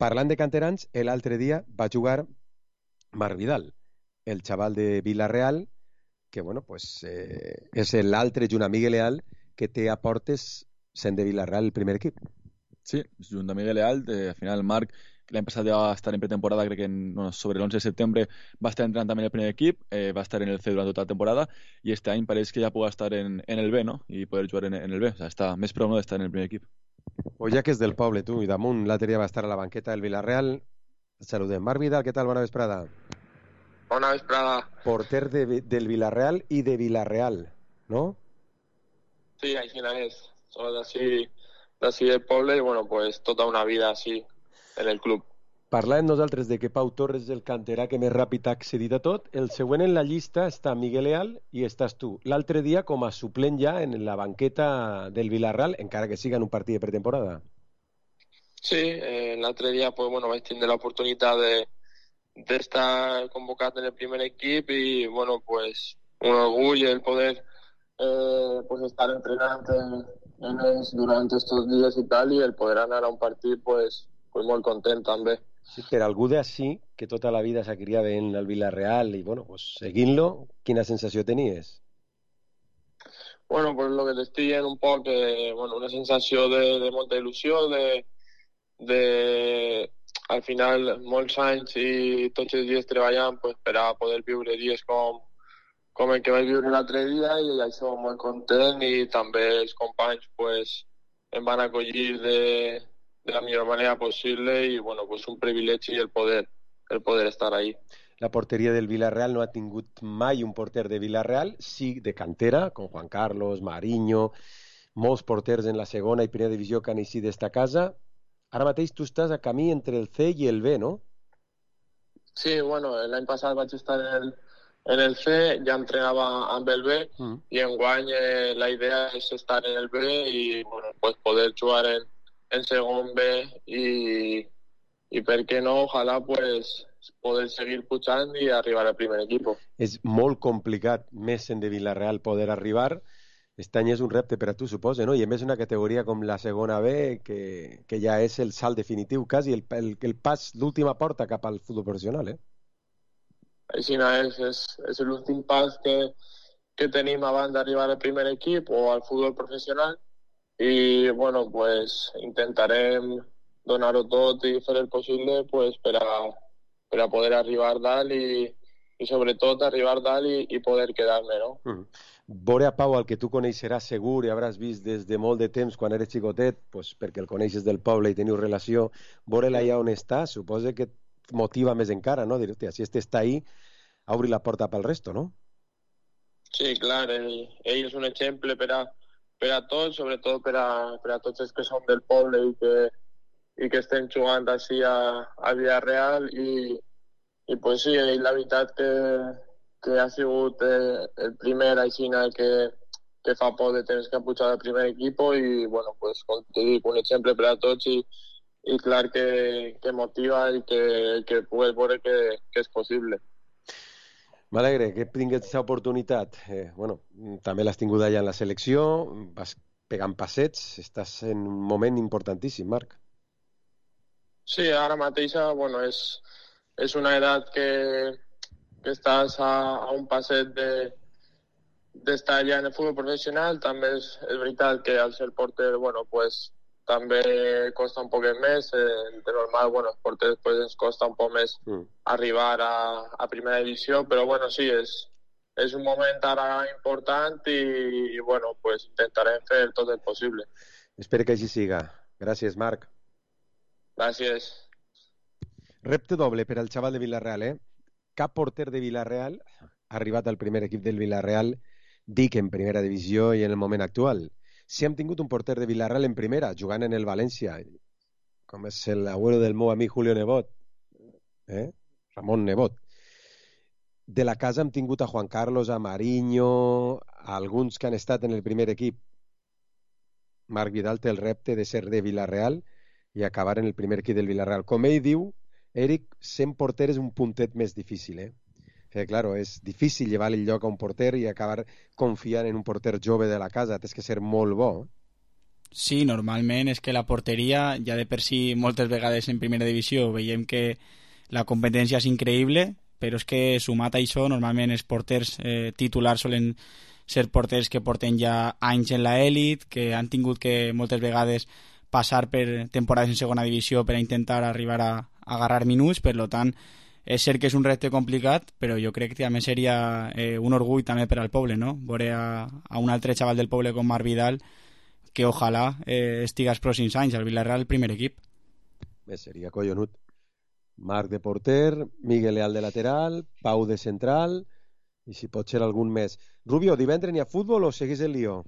Parlant de canterans, l'altre dia va jugar Marc Vidal, el xaval de Villarreal, que és l'altre junt amb Miguel Leal que té a portes sent de Villarreal el primer equip. Sí, junt amb Miguel Leal, al final Marc l'any passat ja va estar en pretemporada, crec que sobre l'11 de setembre va estar entrant també en el primer equip, va estar en el C durant tota la temporada i este any pareix que ja pugui estar en el B, no? I poder jugar en el B, o sigui, està més prou d'estar en el primer equip. O ja que és del poble, tu, i damunt l'altre dia va estar a la banqueta del Villarreal. Et saludem. Marc Vidal, què tal? Bona vesprada. Bona vesprada. Porter del Villarreal i de Villarreal, no? Sí, així és. Som d'ací del poble i, pues, tota una vida així en el club. Parlàvem nosaltres de que Pau Torres és el canterà que més ràpid ha accedit a tot. El següent en la llista està Miguel Leal i estàs tu. L'altre dia com a suplent ja en la banqueta del Villarreal, encara que siga en un partit de pretemporada. Sí, l'altre dia pues, vaig tindre l'oportunitat d'estar convocat en el primer equip i pues, un orgull el poder pues, estar entrenant en ells durant estos dies i tal, i el poder anar a un partit pues molt content també. Sí, per algú d'ací, que tota la vida s'ha criat en el Villarreal i pues, seguint-lo, quina sensació tenies? Pues lo que t'estic dient un poc, una sensació de molta il·lusió, al final molts anys i tots els dies treballant pues, per a poder viure dies com el que vaig viure l'altre dia, i això molt content, i també els companys pues, em van acollir de la millor manera possible i pues un privilegi el poder estar ahí. La porteria del Villarreal no ha tingut mai un porter de Villarreal, sí de cantera, com Juan Carlos, Mariño, molts porters en la segona i primera divisió que han eixit d'esta casa. Ara mateix tu estàs a camí entre el C i el B, no? Sí, l'any passat vaig estar en el C, ja entrenava amb el B, i enguany la idea és estar en el B i pues poder jugar en segon B i per què no, ojalà pues poder seguir pujant i arribar al primer equip. És molt complicat, més en de Villarreal, poder arribar. Aquest any és un repte per a tu, suposa, no? I a més una categoria com la segona B, que ja és el salt definitiu, quasi el pas, l'última porta cap al futbol professional, Així és l'últim pas que tenim abans d'arribar al primer equip o al futbol professional, i pues intentarem donar-ho tot i fer el possible pues, per a poder arribar dalt i sobretot arribar dalt i poder quedar-me, no? Veure a Pau, el que tu coneixeràs segur i hauràs vist des de molt de temps quan eres xicotet, pues, perquè el coneixes del poble i teniu relació, veure-la allà on està, suposa que et motiva més encara, no? Dir, si este està ahí, obri la porta pel resto, no? Sí, clar, ell és un exemple per a tots, sobretot per a tots els que som del poble i que estem jugant així a Villarreal, i pues sí, la veritat que ha sigut el primer així fa por de tenir que pujar al primer equip i, bueno, pues, com t'ho dic, un exemple per a tots i clar que motiva i que pugues veure que és possible. M'alegre que tinguis aquesta oportunitat. Bueno, també l'has tingut allà en la selecció, vas pegant passets, estàs en un moment importantíssim, Marc. Sí, ara mateix, bueno, és una edat que estàs a un passet d'estar allà en el futbol professional. També és veritat que al ser porter, bueno, pues també costa un poquet més. De normal, bueno, els porters pues, ens costa un poc més arribar a primera divisió, però bueno, sí, és un moment ara important i bueno, pues intentarem fer tot el possible. Espero que així siga. Gràcies, Marc. Gràcies. Repte doble per al xaval de Villarreal, Cap porter de Villarreal ha arribat al primer equip del Villarreal, dic en primera divisió i en el moment actual. Si hem tingut un porter de Villarreal en primera, jugant en el València, com és l'abuelo del meu amic Julio Nebot, Ramon Nebot. De la casa hem tingut a Juan Carlos, a Mariño, a alguns que han estat en el primer equip. Marc Vidal té el repte de ser de Villarreal i acabar en el primer equip del Villarreal. Com ell diu, Eric, sent porter és un puntet més difícil, Claro, és difícil llevar el lloc a un porter i acabar confiant en un porter jove de la casa. Tens que ser molt bo. Sí, normalment és que la porteria, ja de per si moltes vegades en primera divisió veiem que la competència és increïble, però és que sumat a això, normalment els porters titulars solen ser porters que porten ja anys en l'elit, que han tingut que moltes vegades passar per temporades en segona divisió per a intentar arribar a agarrar minuts. Per tant, és cert que és un repte complicat, però jo crec que també seria un orgull també per al poble, no? Veure a un altre xaval del poble com Marc Vidal, que ojalà estiga els pròxims anys al Villarreal, el primer equip. Bé, seria collonut. Marc de porter, Miguel Leal de lateral, Pau de central i si pot ser algun més. Rubio, divendres n'hi ha futbol o seguís el lío?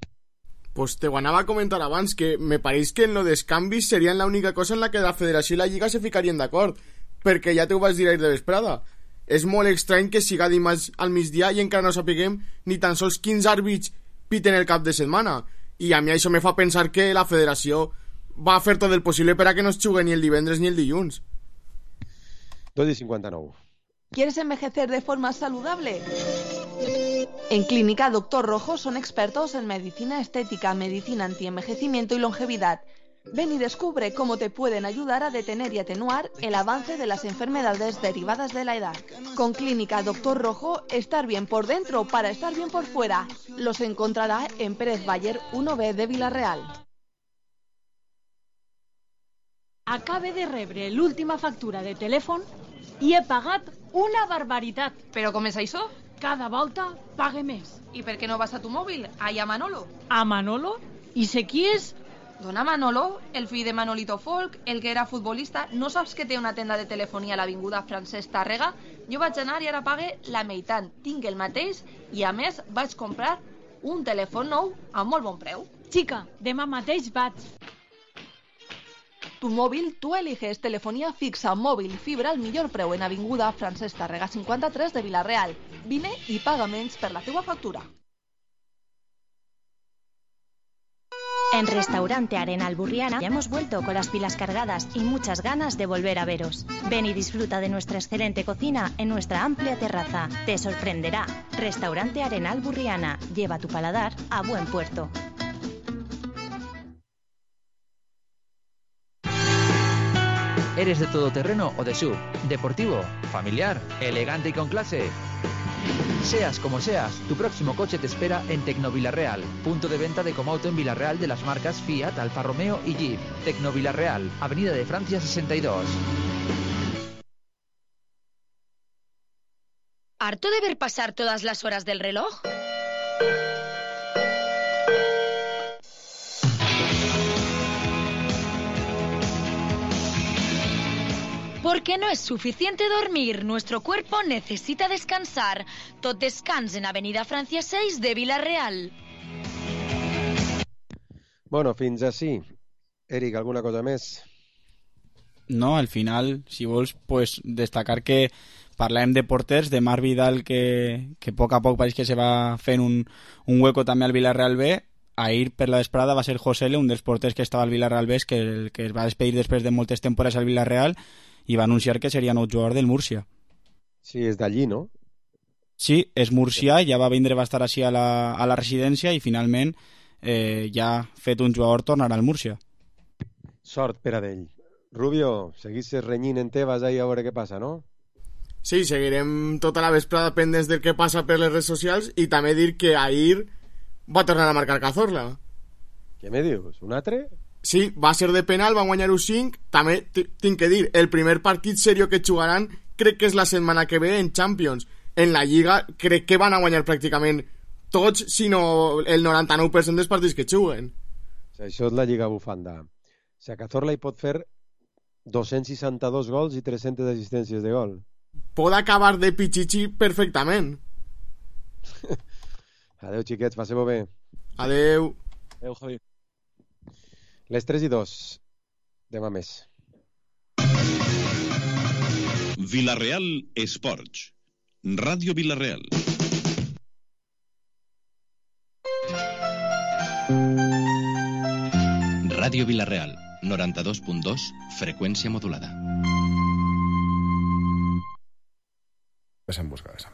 Pues te ho anava a comentar abans, que me pareix que en lo dels canvis serien l'única cosa en la que la federació i la lliga se ficarien d'acord, perquè ja t'ho vaig dir ahir de vesprada. És molt estrany que siga dimarts al migdia i encara no sapiguem ni tan sols quins àrbits piten el cap de setmana. I a mi això me fa pensar que la federació va fer tot el possible per a que no es jugui ni el divendres ni el dilluns. 2:59. ¿Quieres envejecer de forma saludable? En Clínica Doctor Rojo son expertos en medicina estética, medicina antienvejecimiento y longevidad. Ven y descubre cómo te pueden ayudar a detener y atenuar el avance de las enfermedades derivadas de la edad. Con Clínica Doctor Rojo, estar bien por dentro para estar bien por fuera. Los encontrará en Pérez Bayer 1B de Villarreal. Acabe de rebre l'última factura de telèfon i he pagat una barbaritat. ¿Pero com és això? Cada volta pague més. ¿Y per què no vas a tu mòbil? Allà a Manolo. ¿A Manolo? I sé qui és? Dona Manolo, el fill de Manolito Folk, el que era futbolista. No saps que té una tenda de telefonia a l'avinguda Francesc Tàrrega? Jo vaig anar i ara pague la meitat. Tinc el mateix i a més vaig comprar un telèfon nou a molt bon preu. Xica, demà mateix vaig. Tu móvil, tú eliges telefonía fixa, móvil, fibra al millor preu en avinguda Francesc Tàrrega 53 de Villarreal. Vine i paga menys per la teua factura. En Restaurante Arenal Burriana ya hemos vuelto con las pilas cargadas y muchas ganas de volver a veros. Ven y disfruta de nuestra excelente cocina en nuestra amplia terraza. Te sorprenderá. Restaurante Arenal Burriana. Lleva tu paladar a buen puerto. ¿Eres de todoterreno o de SUV? ¿Deportivo? ¿Familiar? ¿Elegante y con clase? Seas como seas, tu próximo coche te espera en Tecnovillarreal, punto de venta de Comauto en Villarreal de las marcas Fiat, Alfa Romeo y Jeep. Tecnovillarreal, Avenida de Francia 62. ¿Harto de ver pasar todas las horas del reloj? Porque no es suficiente dormir, nuestro cuerpo necesita descansar. Tot descans en Avenida Francia 6 de Villarreal. Bueno, fins així. Eric, alguna cosa més? No, al final, si vols, pues, destacar que parlàvem de porters, de Marc Vidal, que a poc pareix que se va fent un hueco també al Villarreal B. Ahir per la vesprada va ser Josele, un dels porters que estava al Villarreal B, que es va despedir després de moltes temporades al Villarreal i va anunciar que seria nou jugador del Múrcia. Sí, és d'allí, no? Sí, és murcià, ja va vindre, va estar així a la residència i finalment ja fet un jugador tornarà al Múrcia. Sort per a d'ell. Rubio, seguissis renyint en Tebas ahí a veure què passa, no? Sí, seguirem tota la vesprada pendents del que passa per les redes socials i també dir que ahir va tornar a marcar Cazorla. Què me dius? Un altre? Sí, va ser de penal, van guanyar-ho 5. També tinc que dir, el primer partit serio que jugaran crec que és la setmana que ve en Champions. En la Lliga crec que van a guanyar pràcticament tots, sinó el 99% dels partits que juguen. Això és la Lliga Bufanda. Si a Cazorla hi pot fer 262 gols i 300 assistències de gol. Pot acabar de pichichi perfectament. Adeu, xiquets, passeu bé. Adeu. Adeu, Javi. Les 3:02. Demà més. Villarreal Esports. Ràdio Villarreal. Ràdio Villarreal, 92.2, freqüència modulada. Ves en busca de esa.